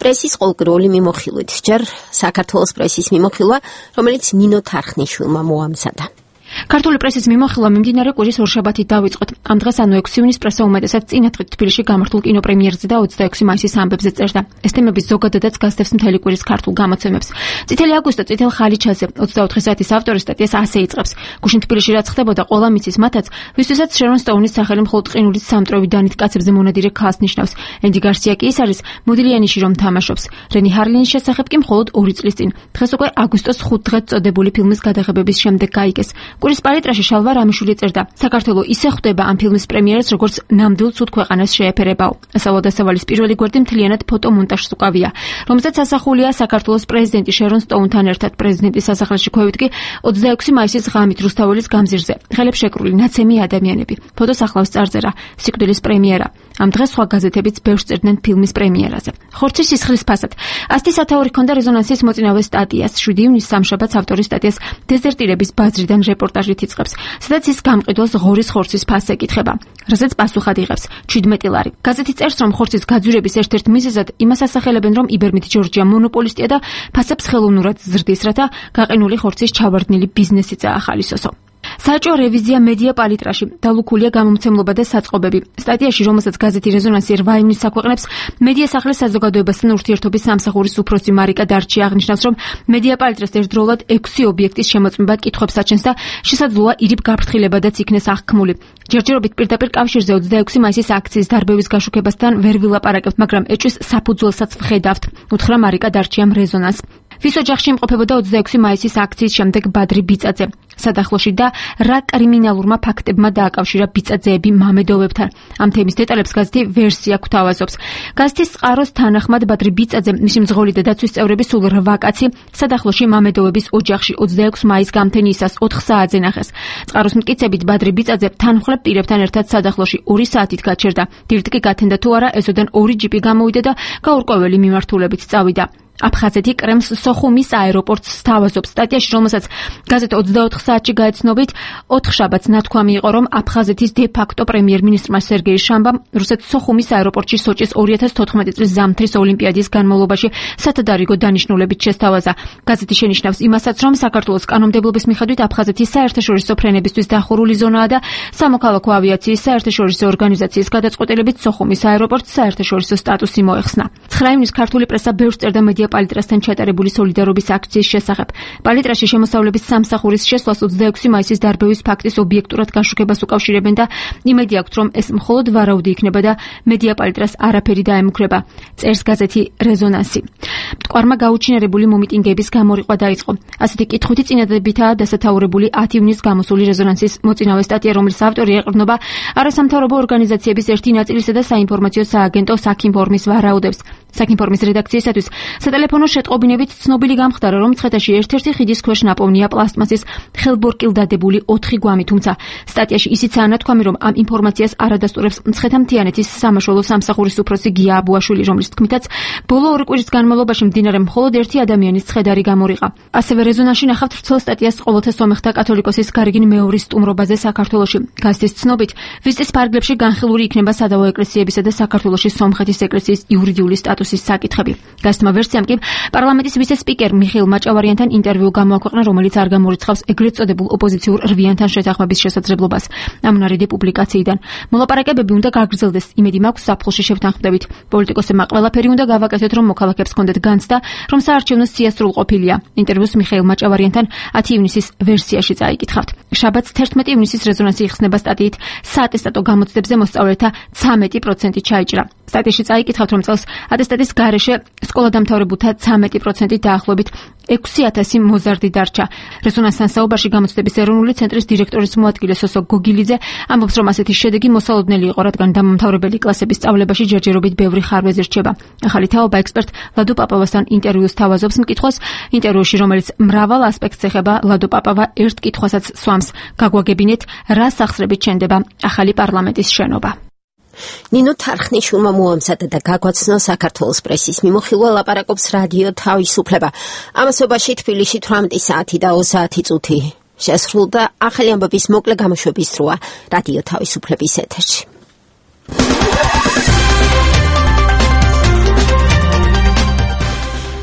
პრესის ყოველკვირეული მიმოხილვით, ჯერ საქართველოს პრესის მიმოხილვა, რომელიც ნინო თარხნიშვილმა მოამზადა. ქართული პრესის მიმოხილვა მიმდინარე კვირის ორშაბათით დავიწყოთ. ამ დღეს ანუ ექვსი ივნისს პრესა უმეტესად წინათღით თბილისში გამართულ კინოპრემიერზე და ოცდაექვსი მაისის ამბებზე წერდა. ეს თემები ზოგადადაც გასდევს მთელი კვირის ქართულ გამოცემებს. წითელი აგვისტო წითელ ხალიჩაზე ოცდაოთხი საათის ავტორი სტატიას ასე იწყებს. გუშინ თბილისში რაც ხდებოდა, ყველა მიცის მათაც, ვისთვისაც შერონ სტოუნის სახელი მხოლოდ ყინულის სამტრევი დანით კაცებზე მონადირე ქალს ნიშნავს. ენდი გარსია კი ის არის მოდილიანიში რომ თამაშობს. რენი ჰარლინის შესახებ კი მხოლოდ ორი წლის წინ. დღეს უკვე აგვისტოს ხუთ დღედ წოდებული ფილმის გადაღებების შემდეგ გაიგეს. კვირის პალიტრაში შალვა რამიშვილი წერდა: საქართველო ისე ხვდება ამ ფილმის პრემიერას, როგორც ნამდვილ ცუდ ქვეყანას შეეფერებაო. ასავლადასავალის პირველი გვერდი მთლიანად ფოტომონტაჟს უკავია, რომელზეც ასახულია საქართველოს პრეზიდენტი შერონ სტოუნთან ერთად პრეზიდენტის სასახლეში ქვევით კი ოცდაექვსი მაისის ღამით რუსთაველის გამზირზე. ხელებს შეკრული ნაცემი ადამიანები. ფოტოს ახლავს წარწერა: სიკვდილის პრემიერა. ამ დღეს სხვა გაზეთებიც ბევრს წერდნენ ფილმის პრემიერაზე. ხორცის სისხლის ფასად. ასეთი სათაური ჰქონდა რეზონანსის მოწინავე სტატიას. შვიდი ივნისს სამშაბათს ავტორის სტატიას დეზერტირების ბაზრიდან რეპორტაჟით იწყებს, სადაც ის გამყიდველს ღორის ხორცის ფასს ეკითხება, რასაც პასუხად იღებს ჩვიდმეტი ლარი. გაზეთი წერს, რომ ხორცის გაძვირების ერთ-ერთ მიზეზად იმას ასახელებენ, რომ იბერმით ჯორჯია მონოპოლისტია და ფასებს ხელოვნურად ზრდის, რათა გაყინული ხორცის ჩავარდნილი ბიზნესი წაახალისოსო. საეჭვო რევიზია მედია პალიტრაში, დალუქულია გამომცემლობა და საწყობები. სტატიაში, რომელსაც გაზეთი რეზონანსი რვა ივნისს აქვეყნებს, მედია სახლის საზოგადოებასთან ურთიერთობის სამსახურის უფროსი მარიკა დარჩი აღნიშნავს, რომ მედია პალიტრას ერთდროულად ექვსი ობიექტის შემოწმება კითხვებს აჩენს და შესაძლოა ირიბ გაფრთხილებადაც იქნეს აღქმული. ჯერჯერობით პირდაპირ კავშირზე ოცდაექვსი მაისის აქციის დარბევის გაშუქებასთან ვერ ვილაპარაკებთ, მაგრამ ეჭვის საფუძველსაც ვხედავთ, უთხრა მარიკა დარჩიამ რეზონანს. ვის ოჯახში იმყოფებოდა ოცდაექვსი მაისის აქციის შემდეგ ბადრი ბიწაძე? სადახლოში და რა კრიმინალურმა ფაქტებმა დააკავშირა ბიწაძეები მამედოვებთან? ამ თემის დეტალებს გაზეთი ვერსია გვთავაზობს. გაზეთის წყაროს თანახმად ბადრი ბიწაძე, მისი მძღოლი და დაცვის წევრები სულ რვა კაცი სადახლოში მამედოვების ოჯახში ოცდაექვსი მაისს გამთენიისას ოთხ საათზე ნახეს. წყაროს მტკიცებით ბადრი ბიწაძე თანმხლებ პირებთან ერთად სადახლოში ორი საათით გაჩერდა. დილით კი გათენდა თუ არა, ეზოდან ორი ჯიპი გამოვიდა და გაურკვეველი მიმართულებით წავიდა. აფხაზეთი კრემს სოხუმის აეროპორტს სთავაზობს. სტატიაში, რომელსაც გაზეთ ოცდაოთხ საათში გაეცნობით, ოთხ შაბათს ნათქვამი იყო, რომ აფხაზეთის დე-ფაქტო პრემიერ-მინისტრმა სერგეი შამბამ რუსეთ სოხუმის აეროპორტში სოჭის ორი ათას თოთხმეტი წლის ზამთრის ოლიმპიადის განმავლობაში სათადარიგო დანიშნულებით შესთავაზა. გაზეთი შენიშნავს იმასაც, რომ საქართველოს კანონმდებლობის მიხედვით აფხაზეთის საერთაშორისო ფრენებისთვის დახურული ზონაა და სამოქალაქო ავიაციის საერთაშორისო ორგანიზაციის გადაწყვეტილებით სოხუმის აეროპორტს საერთაშორისო სტატუსი მოეხსნა. ცხრა ივნისს ქართული პრესა ბევრს წერდა მედია პალიტრასთან ჩატარებული სოლიდარობის აქციის შესახებ. პალიტრაში შემოსავლების სამსახურის შესვლას ოცდაექვსი მაისის დარბევის ფაქტის ობიექტურად გაშუქებას უკავშირებენ და იმედი აქვთ, რომ ეს მხოლოდ ვარაუდი იქნება და მედია პალიტრას არაფერი დაემუქრება. წერს გაზეთი რეზონანსი. მტკვარმა გაუჩინარებული მომიტინგების გამორიყვა დაიწყო. ასეთი კითხვითი წინადებითაა დასათაურებული ათი ივნისს გამოსული რეზონანსის მოწინავე სტატია, რომლის ავტორი ეყრდნობა არასამთავრობო ორგანიზაციების ერთი ნაწილისა და საინფორმაციო სააგენტო საქინფორმის ვარაუდებს. საქინფორმის რედაქციისათვის სატელეფონო შეტყობინებით ცნობილი გამხდარა, რომ მცხეთაში ერთ-ერთი ხიდის ქვეშ ნაპოვნია პლასტმასის ხელბორკილ დადებული ოთხი გვამი, თუმცა სტატიაში ისიცაა ნათქვამი, რომ ამ ინფორმაციას არადასტურებს მცხეთა-მთიანეთის სამაშველო სამსახურის უფროსი გია აბუაშვილი, რომლის თქმითაც ბოლო ორი კვირის განმავლობაში მდინარე მხოლოდ ერთი ადამიანის ცხედარი გამორიყა. ასევე რეზონანსში ნახავთ ვრცელ სტატიას ყოველთა სომეხთა კათოლიკოსის გარიგინ მეორის სტუმრობაზე საქართველოში. გაზეთის ცნობით, ვიზიტის ფარგლებში განხილული იქნება სადავო ეკლესიებისა და საქართველოში სომხეთის ეკლესიის იურიდიული სტატუსი. სტატუსის საკითხები. გასცემ ვერსიამ კი პარლამენტის ვიცე-სპიკერ მიხეილ მაჭავარიანთან ინტერვიუ გამოაქვეყნა, რომელიც არ გამორიცხავს ეგრეთ წოდებულ ოპოზიციურ რვიანთან შეთანხმების შესაძლებლობას. ამნარიდი პუბლიკაციიდან მოლაპარაკებები უნდა გაგრძელდეს, იმედი მაქვს ზაფხულში შევთანხმდებით. პოლიტიკოსებმა ყველაფერი უნდა გავაკეთოთ, რომ მოქალაქეებს ჰქონდეთ განცდა, რომ საარჩევნო სია სრულყოფილია. ინტერვიუს მიხეილ მაჭავარიანთან ათი ივნისის ვერსიაში წაიკითხავთ. შაბათს თერთმეტი ივნისის რეზონანსი იხსნება სტატიით საატესტატო გამოცდებზე მოსწავლეთა ცამეტი პროცენტი ჩაიჭრა. სტატიაში წაიკითხავთ, რომ წელს ატესტატის გარეშე სკოლადამთავრებულთა ცამეტი პროცენტი დაახლოებით ექვსი ათასი მოზარდი დარჩა. რეზონანსთან საუბარში გამოცდების ეროვნული ცენტრის დირექტორის მოადგილე სოსო გოგილიძე ამბობს, რომ ასეთი შედეგი მოსალოდნელი იყო, რადგან დამამთავრებელი კლასების სწავლებაში ჯერჯერობით ბევრი ხარვეზი რჩება. ახალი თაობა ექსპერტ ლადო პაპავასთან ინტერვიუს თავაზობს მკითხვას. ინტერვიუში, რომელიც მრავალ ასპექტს ეხება, ლადო პაპავა ერთ კითხვასაც სვამს: გაგვაგებინეთ, რა სახსრებით შენდება ახალი პარლამენტის შენობა. ნინო თარხნიშვილმა მოამზადა და გაგვაცნო საქართველოს პრესის მიმოხილვა, ლაპარაკობს რადიო თავისუფლება. ამასობაში თბილისში თვრამეტი საათი და ოცდაათი წუთი შესრულდა. ახალი ამბების მოკლე გამოშვების დროა რადიო თავისუფლების ეთერში.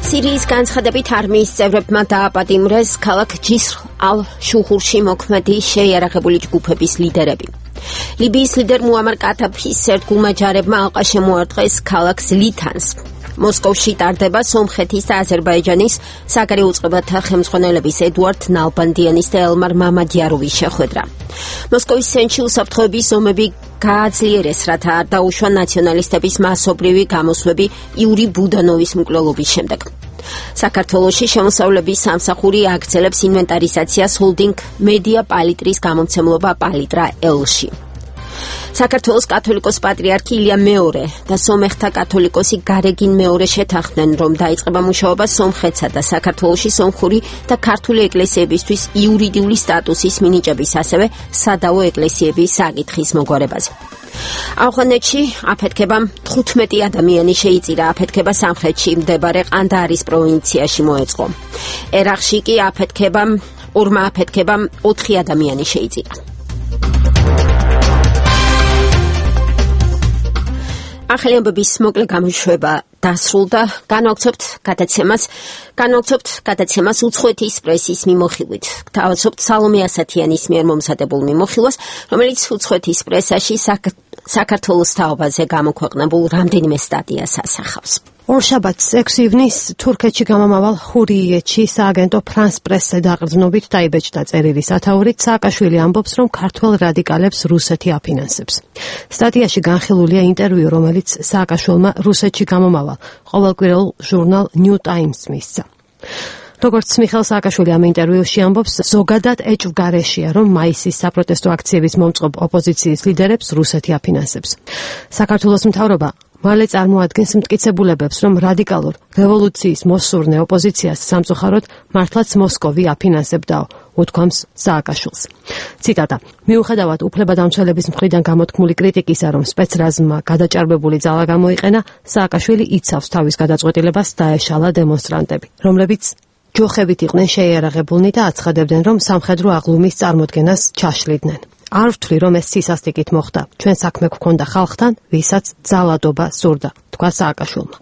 სირიის განცხადებით არმიის წევრებმა დააპატიმრეს ქალაქ ჯისრ ალ-შუხურში მოქმედი შეიარაღებული ჯგუფების ლიდერები. ლიბიის ლიდერ მუამარ კათაფის ერთგულმა ჯარებმა ალყა შემოარტყეს ქალაქს ლითანს. მოსკოვში ტარდება სომხეთის და აზერბაიჯანის საგარეო უწყებათა ხელმძღვანელების ედუარდ ნალბანდიანის და ელმარ მამადიაროვის შეხვედრა. მოსკოვის ცენტრში უსაფრთხოების ზომები გააძლიერეს, რათა არ დაუშვა ნაციონალისტების მასობრივი გამოსვლები იური ბუდანოვის მკვლელობის შემდეგ. საქართველოში შემოსავლების სამსახური აგრძელებს ინვენტარიზაციას ჰოლდინგ მედია პალიტრის გამომცემლობა პალიტრა ელში. საქართველოს კათოლიკოს პატრიარქი ილია მეორე და სომეხთა კათოლიკოსი გარეგინ მეორე შეთანხმდნენ, რომ დაიწყება მუშაობა სომხეთსა და საქართველოში სომხური და ქართული ეკლესიებისთვის იურიდიული სტატუსის მინიჭების, ასევე სადავო ეკლესიების საკითხის მოგვარებაზე. ავღანეთში აფეთქებამ თხუთმეტი ადამიანი შეიწირა. აფეთქება სამხრეთში მდებარე ყანდაარის პროვინციაში მოეწყო. ერაყში კი აფეთქებამ ორმა აფეთქებამ ოთხი ადამიანი შეიწირა. ახალი ამბების მოკლე გამოშვება დასრულდა. განვაგრძობთ გადაცემას, განვაგრძობთ გადაცემას უცხოეთის პრესის მიმოხილვით. გთავაზობთ სალომე ასათიანის მიერ მომზადებულ მიმოხილვას, რომელიც უცხოეთის პრესაში საქართველოს თაობაზე გამოქვეყნებულ რამდენიმე სტატიას ასახავს. ორშაბათს ექვსი ივნისს თურქეთში გამომავალ ხურიეთში სააგენტო ფრანს პრესზე დაყრდნობით დაიბეჭდა წერილი სათაურით. სააკაშვილი ამბობს, რომ ქართველ რადიკალებს რუსეთი აფინანსებს. სტატიაში განხილულია ინტერვიუ, რომელიც სააკაშვილმა რუსეთში გამომავალ ყოველკვირეულ ჟურნალ ნიუ ტაიმსს მისცა. როგორც მიხეილ სააკაშვილი ამ ინტერვიუში ამბობს, ზოგადად ეჭვგარეშეა, რომ მაისის საპროტესტო აქციების მომწყობ ოპოზიციის ლიდერებს რუსეთი აფინანსებს. საქართველოს მთავრობა მალე წარმოადგენს მტკიცებულებებს, რომ რადიკალურ რევოლუციის მოსურნე ოპოზიციას სამწუხაროდ მართლაც მოსკოვი აფინანსებდაო, უთქვამს სააკაშვილს. ციტატა: მიუხედავად უფლებადამცველების მხრიდან გამოთქმული კრიტიკისა, რომ სპეცრაზმმა გადაჭარბებული ძალა გამოიყენა, სააკაშვილი იცავს თავის გადაწყვეტილებას დაეშალა დემონსტრანტები, რომლებიც ჯოხებით იყვნენ შეიარაღებულნი და აცხადებდნენ, რომ სამხედრო აღლუმის წარმოქმნას ჩაშლიდნენ. არ ვთვლი, რომ ეს სისასტიკით მოხდა. ჩვენ საქმე გვქონდა ხალხთან, ვისაც ძალადობა სურდა, თქვა სააკაშვილმა.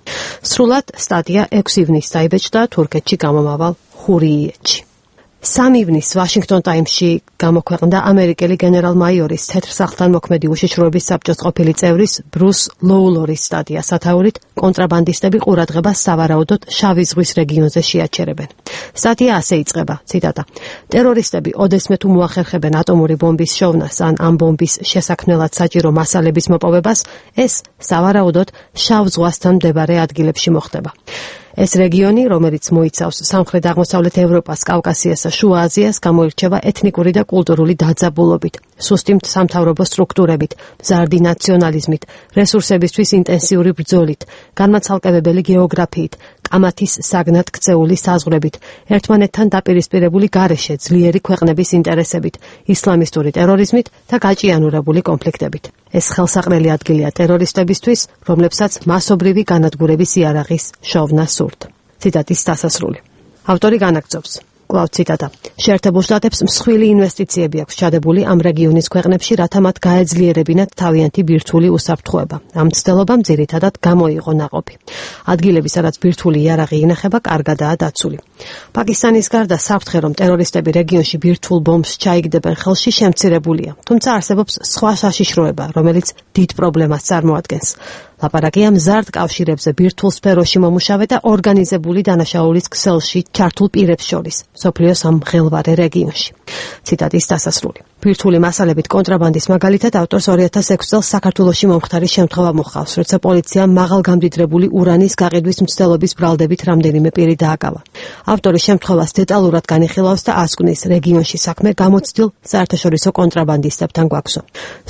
სრულად სტატია ექვსი ივნისს დაიბეჭდა თურქეთში გამომავალ ხურიეთში. სამი ივნისს ვაშინგტონ ტაიმსში გამოქვეყნდა ამერიკელი გენერალ-მაიორის თეთრ სახლთან მოქმედი უშიშროების საბჭოს ყოფილი წევრის ბრუს ლოულორის სტატია სათაურით კონტრაბანდისტები ყურადღებას სავარაუდოდ შავი ზღვის რეგიონზე შეაჩერებენ. სტატია ასე იწყება, ციტატა: ტერორისტები ოდესმე თუ მოახერხებენ ატომური ბომბის შოვნას ან ამ ბომბის შესაქმნელად საჭირო მასალების მოპოვებას, ეს სავარაუდოდ შავ ზღვასთან მდებარე ადგილებში მოხდება. ეს რეგიონი, რომელიც მოიცავს სამხრეთ აღმოსავლეთ ევროპას, კავკასიასა, შუა აზიას, გამოირჩევა ეთნიკური და კულტურული დაძაბულობით, სუსტი სამთავრობო სტრუქტურებით, მზარდი ნაციონალიზმით, რესურსებისთვის ინტენსიური ბრძოლით, განმაცალკევებელი გეოგრაფიით, კამათის საგნად ქცეული საზღვრებით, ერთმანეთთან დაპირისპირებული გარეშე, ძლიერი ქვეყნების ინტერესებით, ისლამისტური ტერორიზმით და გაჭიანურებული კონფლიქტებით. ეს ხელსაყრელი ადგილია ტერორისტებისთვის, რომლებსაც მასობრივი განადგურების იარაღის შოვნა სურთ. ციტატის დასასრული. ავტორი განაგრძობს: კვლავ ციტატა. შეერთებულ შტატებს მსხვილი ინვესტიციები აქვს ჩადებული ამ რეგიონის ქვეყნებში, რათა მათ გაეძლიერებინათ თავიანთი ბირთვული უსაფრთხოება. ამ მცდელობამ ძირითადად გამოიღო ნაყოფი. ადგილები, სადაც ბირთვული იარაღი ინახება, კარგადაა დაცული. პაკისტანის გარდა საფრთხე, რომ ტერორისტები რეგიონში ბირთვულ ბომბს ჩაიგდებენ ხელში, შემცირებულია. თუმცა არსებობს სხვა საშიშროება, რომელიც დიდ პრობლემას წარმოადგენს. ლაპარაკია მზარდ კავშირებზე ბირთვულ სფეროში მომუშავე და ორგანიზებული დანაშაულის ქსელში ჩართულ პირებს შორის, მსოფლიოს ამ მღელვარე რეგიონში. ციტატის დასასრული. ბირთვული მასალებით კონტრაბანდის მაგალითად ავტორს ორი ათას ექვსი წელს საქართველოში მომხდარი შემთხვევა მოჰყავს, როცა პოლიციამ მაღალგამდიდრებული ურანის გაყიდვის მცდელობის ბრალდებით რამდენიმე პირი დააკავა. ავტორი შემთხვევას დეტალურად განიხილავს და ასკვნის რეგიონში საქმე გამოცდილ საერთაშორისო კონტრაბანდისტებთან გვაქვსო.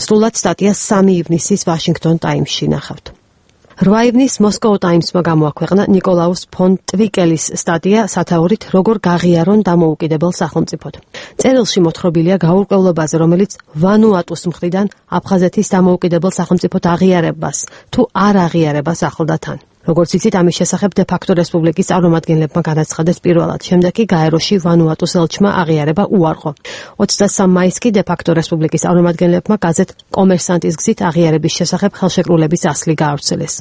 სრულად სტატია სამი ივნისის ვაშინგტონ ტაიმსში ნახავთ. რვა ივნის მოსკოვ ტაიმსმა გამოაქვეყნა ნიკოლაუს ფონ ტვიკელის სტატია სათაურით როგორ გაღიარონ დამოუკიდებელ სახელმწიფოდ. წერილში მოთხრობილია გაურკვევლობაზე, რომელიც ვანუატუს მხრიდან აფხაზეთის დამოუკიდებელ სახელმწიფოდ აღიარებას თუ არ აღიარებას ახლდა თან. როგორც იცით, ამის შესახებ დე-ფაქტო რესპუბლიკის წარმომადგენლებმა განაცხადეს პირველად, შემდეგ კი გაეროში ვანუატუს ელჩმა აღიარება უარყო. ოცდასამი მაისს კი დე-ფაქტო რესპუბლიკის წარმომადგენლებმა გაზეთ კომერსანტის გზით აღიარების შესახებ ხელშეკრულების ასლი გაავრცელეს.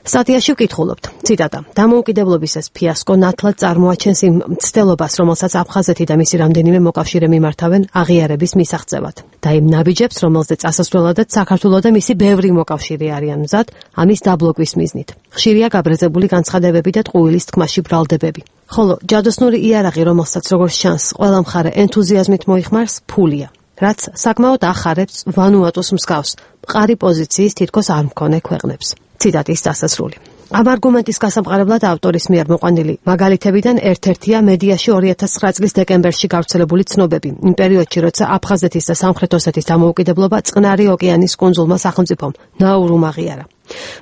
სტატიაში ვკითხულობთ, ციტატა, დამოუკიდებლობის ეს ფიასკო ნათლად წარმოაჩენს იმ მცდელობას, რომელსაც აფხაზეთი და მისი რამდენიმე მოკავშირე მიმართავენ აღიარების მისაღწევად და იმ ნაბიჯებს, რომელზეც ასასვლელადაც საქართველო და მისი ბევრი მოკავშირე არიან მზად ამის დაბლოკვის მიზნით. ხშირია გაბრაზებული განცხადებები და ტყუილის თქმაში ბრალდებები. ხოლო ჯადოსნური იარაღი, რომელსაც როგორც ჩანს, ყველა მხარე ენთუზიაზმით მოიხმარს, ფულია, რაც საკმაოდ ახარებს ვანუატუს მსგავს მყარი პოზიციის თითქოს არ მქონე ქვეყნებს. ციტატის დასასრული. ამ არგუმენტის გასამყარებლად ავტორის მიერ მოყვანილი მაგალითებიდან ერთ-ერთია მედიაში ორი ათას ცხრა წლის დეკემბერში გავრცელებული ცნობები, იმ პერიოდში, როცა აფხაზეთის და სამხრეთ ოსეთის დამოუკიდებლობა წყნარი ოკეანის კუნძულმა სახელმწიფომ ნაურუმ აღიარა.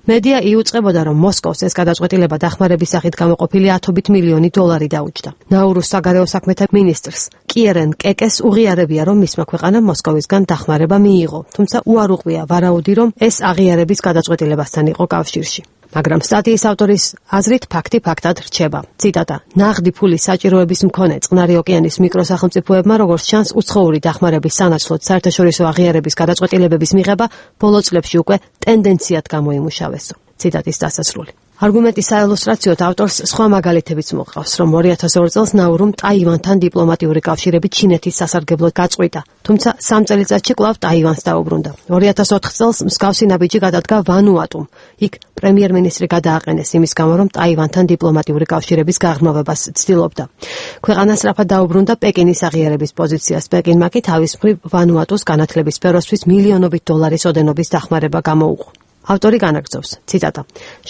მედია იუწყებოდა, რომ მოსკოვს ეს გადაწყვეტილება დახმარების სახით გამოყოფილი ათობით მილიონი დოლარი დაუჯდა. ნაურუს საგარეო საქმეთა მინისტრს კიერენ კეკეს უღიარებია, რომ მისმა ქვეყანამ მოსკოვისგან დახმარება მიიღო, თუმცა უარუყია ვარაუდი, რომ ეს აღიარების გადაწყვეტილებასთან იყო კავშირში. მაგრამ სტატიის ავტორის აზრით ფაქტი ფაქტად რჩება. ციტატა: ნაღდი ფულის საჭიროების მქონე წყნარი ოკეანის მიკროსახელმწიფოებმა, როგორც ჩანს, უცხოური დახმარების სანაცვლოდ საერთაშორისო აღიარების გადაწყვეტილებების მიღება ბოლო წლებში უკვე ტენდენციად გამოიმუშავესო. ციტატის დასასრული. არგუმენტის საილუსტრაციოდ ავტორს სხვა მაგალითებიც მოყავს, რომ ორი ათას ორი წელს ნაურუმ ტაივანთან დიპლომატიური კავშირები ჩინეთის სასარგებლოდ გაწყვიტა, თუმცა სამ წელიწადში კვლავ ტაივანს დაუბრუნდა. ორი ათას ოთხ წელს მსგავსი ნაბიჯი გადადგა ვანუატუმ. იქ პრემიერ-მინისტრი გადააყენეს იმის გამო, რომ ტაივანთან დიპლომატიური კავშირების გაღრმავებას ცდილობდა. ქვეყანა სწრაფად დაუბრუნდა პეკინის აღიარების პოზიციას. პეკინმა კი თავის მხრივ ვანუატუს განათლების სფეროსთვის მილიონობით დოლარის ოდენობის დახმარება გამოუყო. ავტორი განაგრძობს, ციტატა: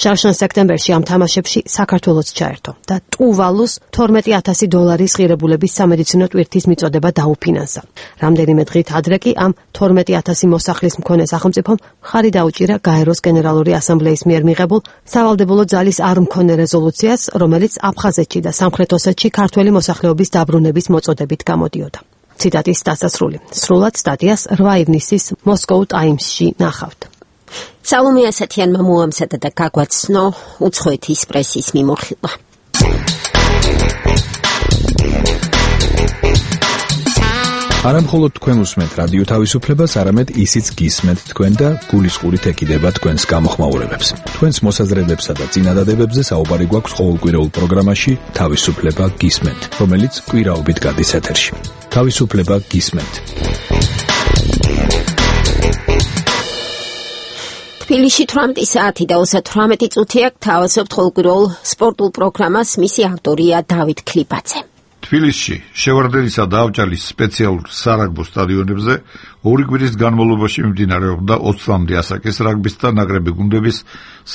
შარშან სექტემბერში ამ თამაშებში საქართველოც ჩაერთო და ტუვალუს თორმეტი ათასი დოლარის ღირებულების სამედიცინო ტვირთის მიწოდება დაუფინანსა. რამდენიმე დღით ადრე კი ამ თორმეტი ათასი მოსახლის მქონე სახელმწიფომ მხარი დაუჭირა გაეროს გენერალური ასამბლეის მიერ მიღებულ სავალდებულო ძალის არ მქონე რეზოლუციას, რომელიც აფხაზეთში და სამხრეთ ოსეთში ქართველი მოსახლეობის დაბრუნების მოწოდებით გამოდიოდა. ციტატის დასასრული. სრულად სტატიას რვა ივნისის მოსკოვ ტაიმსში ნახავთ. სალომე ასათიანმა მოამზადა და გაგვაცნო უცხოეთის პრესის მიმოხილვა. არა მხოლოდ თქვენ უსმენთ რადიო თავისუფლებას, არამედ ისიც გისმენთ თქვენ და გულისყურით ეკიდება თქვენს გამოხმაურებებს. თქვენს მოსაზრებებსა და წინადადებებზე საუბარი გვაქვს ყოველკვირეულ პროგრამაში თავისუფლება გისმენთ, რომელიც კვირაობით გადის ეთერში. თავისუფლება გისმენთ. თბილისში თვრამეტი საათი და ოცდათვრამეტი წუთი აქვს. თავაზობთ ყოველკვირეულ სპორტულ პროგრამას, მისი ავტორია დავით ქლიფაძე. თბილისში შევარდენისა და ავჭალის სპეციალურ სარაგბო სტადიონებზე ორი კვირის განმავლობაში მიმდინარეობდა ოცდაათამდე ასაკის რაგბის და ნაკრები გუნდების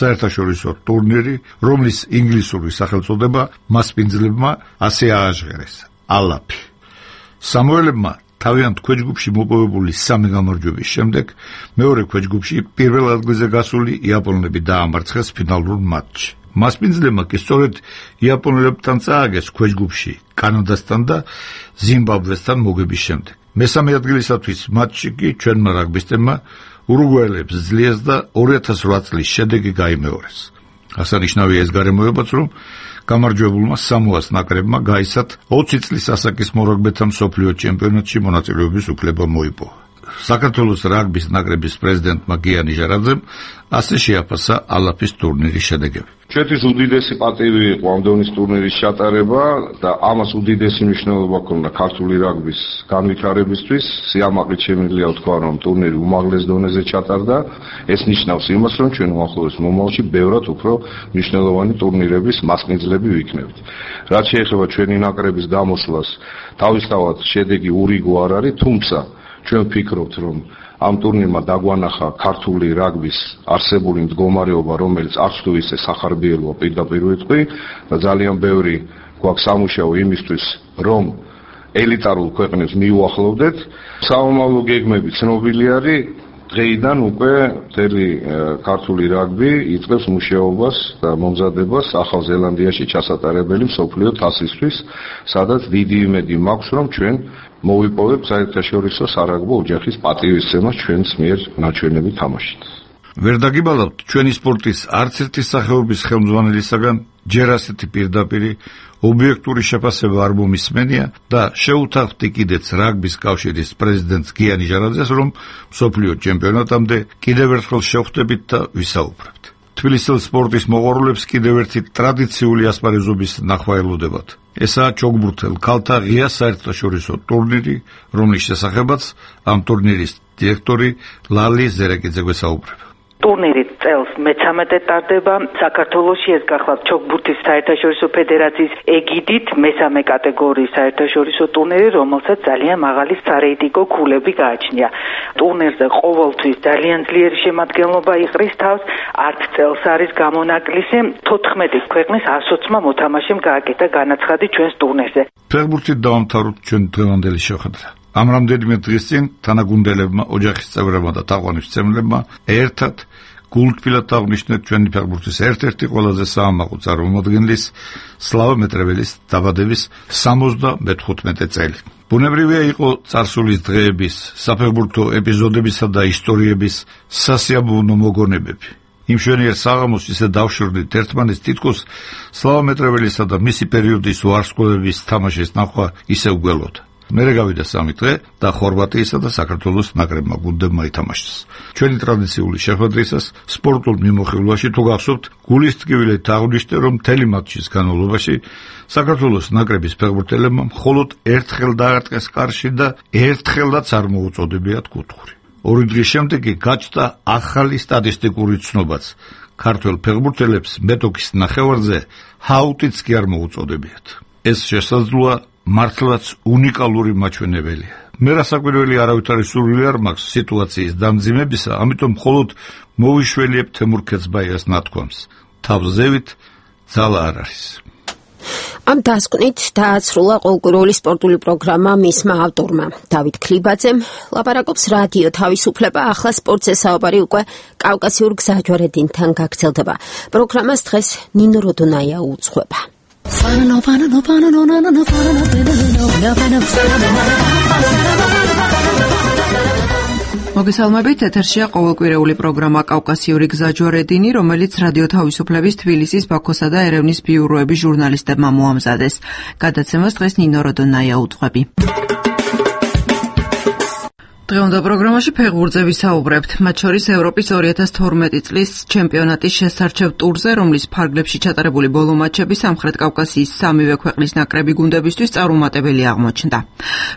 საერთაშორისო ტურნირი, რომლის ინგლისური სახელწოდება მასპინძლებმა ასე ააჟღერეს: ალაფი. სამოელებმა თავიანთ ქვეჯგუფში მოპოვებული სამი გამარჯვების შემდეგ მეორე ქვეჯგუფში პირველ ადგილზე გასული იაპონელები დაამარცხეს ფინალურ მატჩში. მასპინძლებმა კი სწორედ იაპონელებთან წააგეს ქვეჯგუფში კანადასთან და ზიმბაბვესთან მოგების შემდეგ. მესამე ადგილისათვის მატჩში კი ჩვენმა რაგბისტებმა ურუგვაელებს ძლიერს და ორი ათას რვა წლის შედეგი გაიმეორეს. ასანიშნავია ეს გარემოებაც, რომ გამარჯვებულმა სამოას ნაკრებმა გაიცათ ოცი წლის ასაკის მორაგბეთა მსოფლიო ჩემპიონატში მონაწილეობის უფლება მოიპოვა. საქართველოს რაგბის ნაკრების პრეზიდენტმა გიანი ჟარაძემ ასე შეაფასა ალაფის ტურნირის შედეგები. ჩვენთვის უდიდესი პატივი იყო ამ დონის ტურნირის ჩატარება და ამას უდიდესი მნიშვნელობა ჰქონდა ქართული რაგბის განვითარებისთვის. სიამაყით შემიძლია ვთქვა, რომ ტურნირი უმაღლეს დონეზე ჩატარდა. ეს ნიშნავს იმას, რომ ჩვენ უახლოეს მომავალში ბევრად უფრო მნიშვნელოვანი ტურნირების მასპინძლები ვიქნებით. რაც შეეხება ჩვენი ნაკრების გამოსვლას, თავისთავად შედეგი ურიგო არ არის, თუმცა ჩვენ ვფიქრობთ, რომ ამ ტურნირმა დაგვანახა ქართული რაგბის არსებული მდგომარეობა, რომელიც არც თუ ისე სახარბიელოა პირდაპირ ვიტყვი და ძალიან ბევრი გვაქვს სამუშაო იმისთვის, რომ ელიტარულ ქვეყნებს მიუახლოვდეთ. საომავლო გეგმები ცნობილი არის. დღეიდან უკვე მთელი ქართული რაგბი იწყებს მუშაობას და მომზადებას ახალ ზელანდიაში ჩასატარებელი მსოფლიო თასისთვის, სადაც დიდი იმედი მაქვს, რომ ჩვენ მოვიპოვებთ საერთაშორისო სარაგბო ოჯახის პატივისცემას ჩვენს მიერ ნაჩვენები თამაშით. ვერ დაგიბალავთ, ჩვენი სპორტის არც ერთი სახეობის ხელმძღვანელისაგან ჯერ ასეთი პირდაპირი ობიექტური შეფასება არ მომისმენია და შეუთავთი კიდეც რაგბის კავშირის პრეზიდენტს გიანი ჟარაძეს, რომ მსოფლიო ჩემპიონატამდე კიდევ ერთხელ შევხვდებით და ვისაუბრებთ. თბილისელ სპორტის მოყვარულებს კიდევ ერთი ტრადიციული ასპარეზობის ნახვა ელოდებათ. ესაა ჩოგბურთელ ქალთა ღია საერთაშორისო ტურნირი, რომლის შესახებაც ამ ტურნირის დირექტორი ლალი ზერაკიძე გვესაუბრება. ტურნირი წელს მეცამეტე ტარდება. საქართველოში ეს გახლავთ ჩოგბურთის საერთაშორისო ფედერაციის ეგიდით მესამე კატეგორიის საერთაშორისო ტურნირი, რომელსაც ძალიან მაღალი სარეიტინგო ქულები გააჩნია. ტურნირზე ყოველთვის ძალიან ძლიერი შემადგენლობა იყრის თავს. არც წელს არის გამონაკლისი. თოთხმეტი ქვეყნის ასოცმა მოთამაშემ გააკეთა განაცხადი ჩვენს ტურნირზე. ფეხბურთით დავამთავროთ ჩვენ დღევანდელი შეხვედრა. ამ რამდენიმე დღის წინ თანაგუნდელებმა, ოჯახის წევრებმა და თაყვანისმცემლებმა ერთად გულთბილად აღნიშნეთ ჩვენი ფეხბურთის ერთ-ერთი ყველაზე საამაყო წარმომადგენლის სლავა მეტრეველის დაბადების სამოცდამეხუთმეტე წელი. ბუნებრივია იყო წარსულის დღეების, საფეხბურთო ეპიზოდებისა და ისტორიების სასიამოვნო მოგონებები. იმ შვენიერ საღამოს ისე დავშორდით ერთმანეთს, თითქოს სლავა მეტრეველისა და მისი პერიოდის ვარსკვლავების თამაშის ნახვა ისევ გველოდა. მერე გავიდა სამი დღე და ხორვატიისა და საქართველოს ნაკრებმა გუნდებმა ითამაშეს. ჩვენი ტრადიციული შეხვედრისას სპორტულ მიმოხილვაში თუ გახსოვთ, გულისტკივილით აღვნიშნე, რომ მთელი მატჩის განმავლობაში საქართველოს ნაკრების ფეხბურთელებმა მხოლოდ ერთხელ დაარტყეს კარში და ერთხელაც არ მოუწოდებიათ კუთხური. ორი დღის შემდეგ კი გაჩნდა ახალი სტატისტიკური ცნობაც. ქართველ ფეხბურთელებს მეტოქის ნახევარზე ჰაუტიც კი არ მოუწოდებიათ. ეს შესაძლოა მართლაც უნიკალური მაჩვენებელია. მე რასაკვირველი არავით არის სურვილი არ მაქვს სიტუაციის დამძიმებისა, ამიტომ მხოლოდ მოვიშველიებ თემურ ქეცბაიას ნათქვამს. თავზევით ძალა არ არის. ამ დასკვნით დააცრულა ყოველკვირეული სპორტული პროგრამა მისმა ავტორმა დავით ქლიბაძემ. ლაპარაკობს რადიო თავისუფლება. ახლა სპორტზე საუბარი უკვე კავკასიურ გზაჯვარედინთან გაგრძელდება. პროგრამას დღეს ნინო როდონაია უძღვება. მოგესალმებით, ეთერშია ყოველკვირეული პროგრამა კავკასიური გზაჯვარედინი, რომელიც რადიო თავისუფლების თბილისის, ბაქოსა და ერევნის ბიუროების ჟურნალისტებმა მოამზადეს. გადაცემას დღეს ნინო როდონაია უძღვები. დღევანდელ პროგრამაში ფეხბურთზე ვისაუბრებთ, მათ შორის ევროპის ორი ათას თორმეტი წლის ჩემპიონატის შესარჩევ ტურზე, რომლის ფარგლებში ჩატარებული ბოლო მატჩები სამხრეთ კავკასიის სამივე ქვეყნის ნაკრები გუნდებისთვის წარუმატებელი აღმოჩნდა.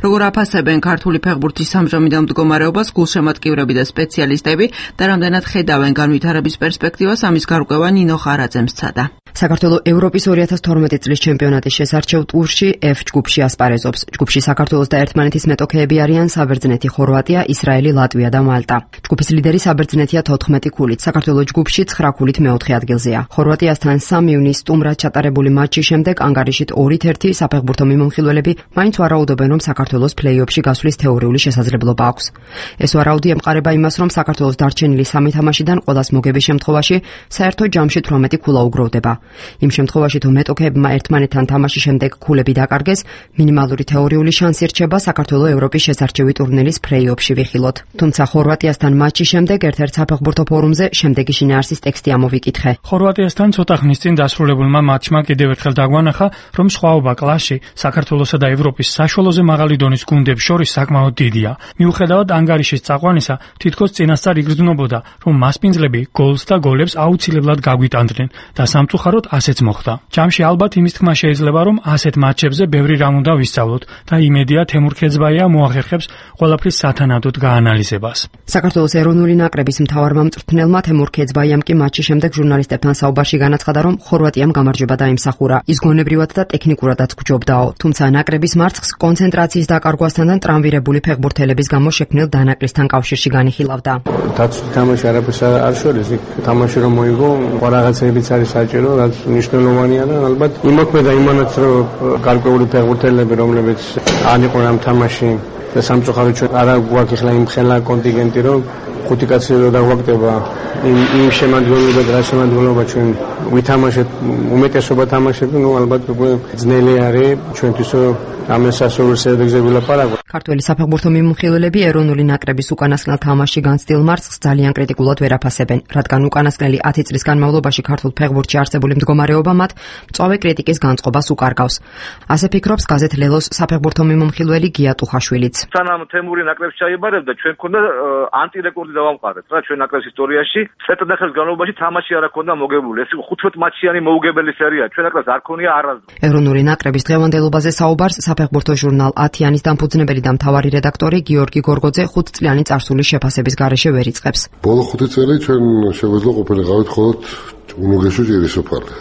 როგორ აფასებენ ქართული ფეხბურთის ამჟამინდელ მდგომარეობას გულშემატკივრები და სპეციალისტები და რამდენად ხედავენ განვითარების პერსპექტივას, ამის გარკვევა ნინო ხარაძემ სცადა. საქართველოს ევროპის ორი ათას თორმეტი წლის ჩემპიონატის შესარჩევ ტურში F ჯგუფში ასპარეზობს. ჯგუფში საქართველოს და ერთმანეთის მეტოქეები არიან საბერძნეთი, ხორვატია, ისრაელი, ლატვია და მალტა. ჯგუფის ლიდერი საბერძნეთია თოთხმეტი ქულით. საქართველოს ჯგუფში ცხრა ქულით მეოთხე ადგილზეა. ხორვატიასთან სამი ივნის სტუმრად ჩატარებული მატჩის შემდეგ ანგარიშით ორით ერთი საფეხბურთო მიმოხილველები მაინც ვარაუდობენ, რომ საქართველოს პლეი-ოფში გასვლის თეორიული შესაძლებლობა აქვს. ეს ვარაუდი ემყარება იმას, რომ საქართველოს დარჩენილი სამი თამაშიდან ყველას მოგების შემთხვევაში საერთო ჯამში თვრამეტი ქულა უგროვდება. იმ შემთხვევაში თუ მეტოქეებმა ერთმანეთთან თამაშის შემდეგ ქულები დაკარგეს, მინიმალური თეორიული შანსი რჩება საქართველოს ევროპის შესარჩევი ტურნირის ფლეი-ოფში ვიხილოთ. თუმცა ხორვატიასთან მატჩის შემდეგ ერთ-ერთ საფეხბურთო ფორუმზე შემდეგი შინაარსის ტექსტი ამოვიკითხე. ხორვატიასთან ცოტა ხნის წინ დასრულებულმა მატჩმა კიდევ ერთხელ დაგვანახა, რომ სხვაობა კლასში საქართველოსა და ევროპის საშუალოზე მაღალი დონის გუნდებს შორის საკმაოდ დიდია. მიუხედავად ანგარიშის წაყვანისა, თითქოს წინასწარ იგრძნობოდა, რომ მასპინძლები გოლს და გოლებს აუცილებლად გაგვიტანდნენ და სამწუხაროდ ასეც მოხდა. ჯამში ალბათ იმის თქმა შეიძლება, რომ ასეთ მატჩებზე ბევრი რამ უნდა ვისწავლოთ და იმედია თემურ ქეძბაია მოახერხებს ყველაფრის სათანადოდ გაანალიზებას. საქართველოს ეროვნული ნაკრების მთავარმა მწვრთნელმა თემურ ქეძბაიამ კი მატჩის შემდეგ ჟურნალისტებთან საუბარში განაცხადა, რომ ხორვატიამ გამარჯვება დაიმსახურა. ის გონებრივად და ტექნიკურადაც გჯობდაო, თუმცა ნაკრების მარცხს კონცენტრაციის დაკარგვასთან და ტრამვირებული ფეხბურთელების გამო შექმნილ დანაკლისთან კავშირში განიხილავდა. დაცული თამაში არაფერს არ შორის, თამაში რომ მოიგო, რაღაცებიც არის საჭირო, რაც მნიშვნელოვანია და ალბათ იმოქმედა იმანაც, რომ გარკვეული ფეხბურთელები, რომლებიც არ იყვნენ ამ თამაში და სამწუხაროდ ჩვენ არა გვაქვს ახლა იმ ხელა კონტინგენტი, რომ ხუთი კაცი რო დაგვაგდება იმ იმ შემადგენლობად, რა შემადგენლობა ჩვენ ვითამაშეთ, უმეტესობა თამაშები, ну ალბათ უკვე ძნელი არის ჩვენთვის ამას ასოურ შედეგზე ვილაპარაკო. ქართველი საფეხბურთო მიმოხილველები ეროვნული ნაკრების უკანასკნელ თამაშში განცდილ მარცხს ძალიან კრიტიკულად ვერ აფასებენ, რადგან უკანასკნელი ათი წლის განმავლობაში ქართულ ფეხბურთში არსებული მდგომარეობა მათ მწვავე კრიტიკის განწყობას უკარგავს. ასე ფიქრობს გაზეთ ლელოს საფეხბურთო მიმოხილველი გია ტუხაშვილიც. სანამ თემური ნაკრებს ჩაიბარებდა, ჩვენ გქონდა ანტირეკორდი დავამყარეთ რა ჩვენ ნაკრების ისტორიაში. წელიწადს განმავლობაში თამაში არ ჰქონდა მოგებული. ეს იყო ხუთმეტ მატჩიანი მოუგებელი სერია. ჩვენ ნაკრებს არ ქონია არასდროს. ეროვნული ნაკრების დღევანდელობაზე საუბარს საფეხბურთო ჟურნალ ათიანის დამფუძნებელი და მთავარი რედაქტორი გიორგი გორგოძე ხუთწლიანი წარსულის შეფასების გარეშე ვერ იწყებს. ბოლო ხუთი წელი ჩვენ შეგვეძლო ყოფილიყავით მხოლოდ უნუგეშო ჭირისოფალი.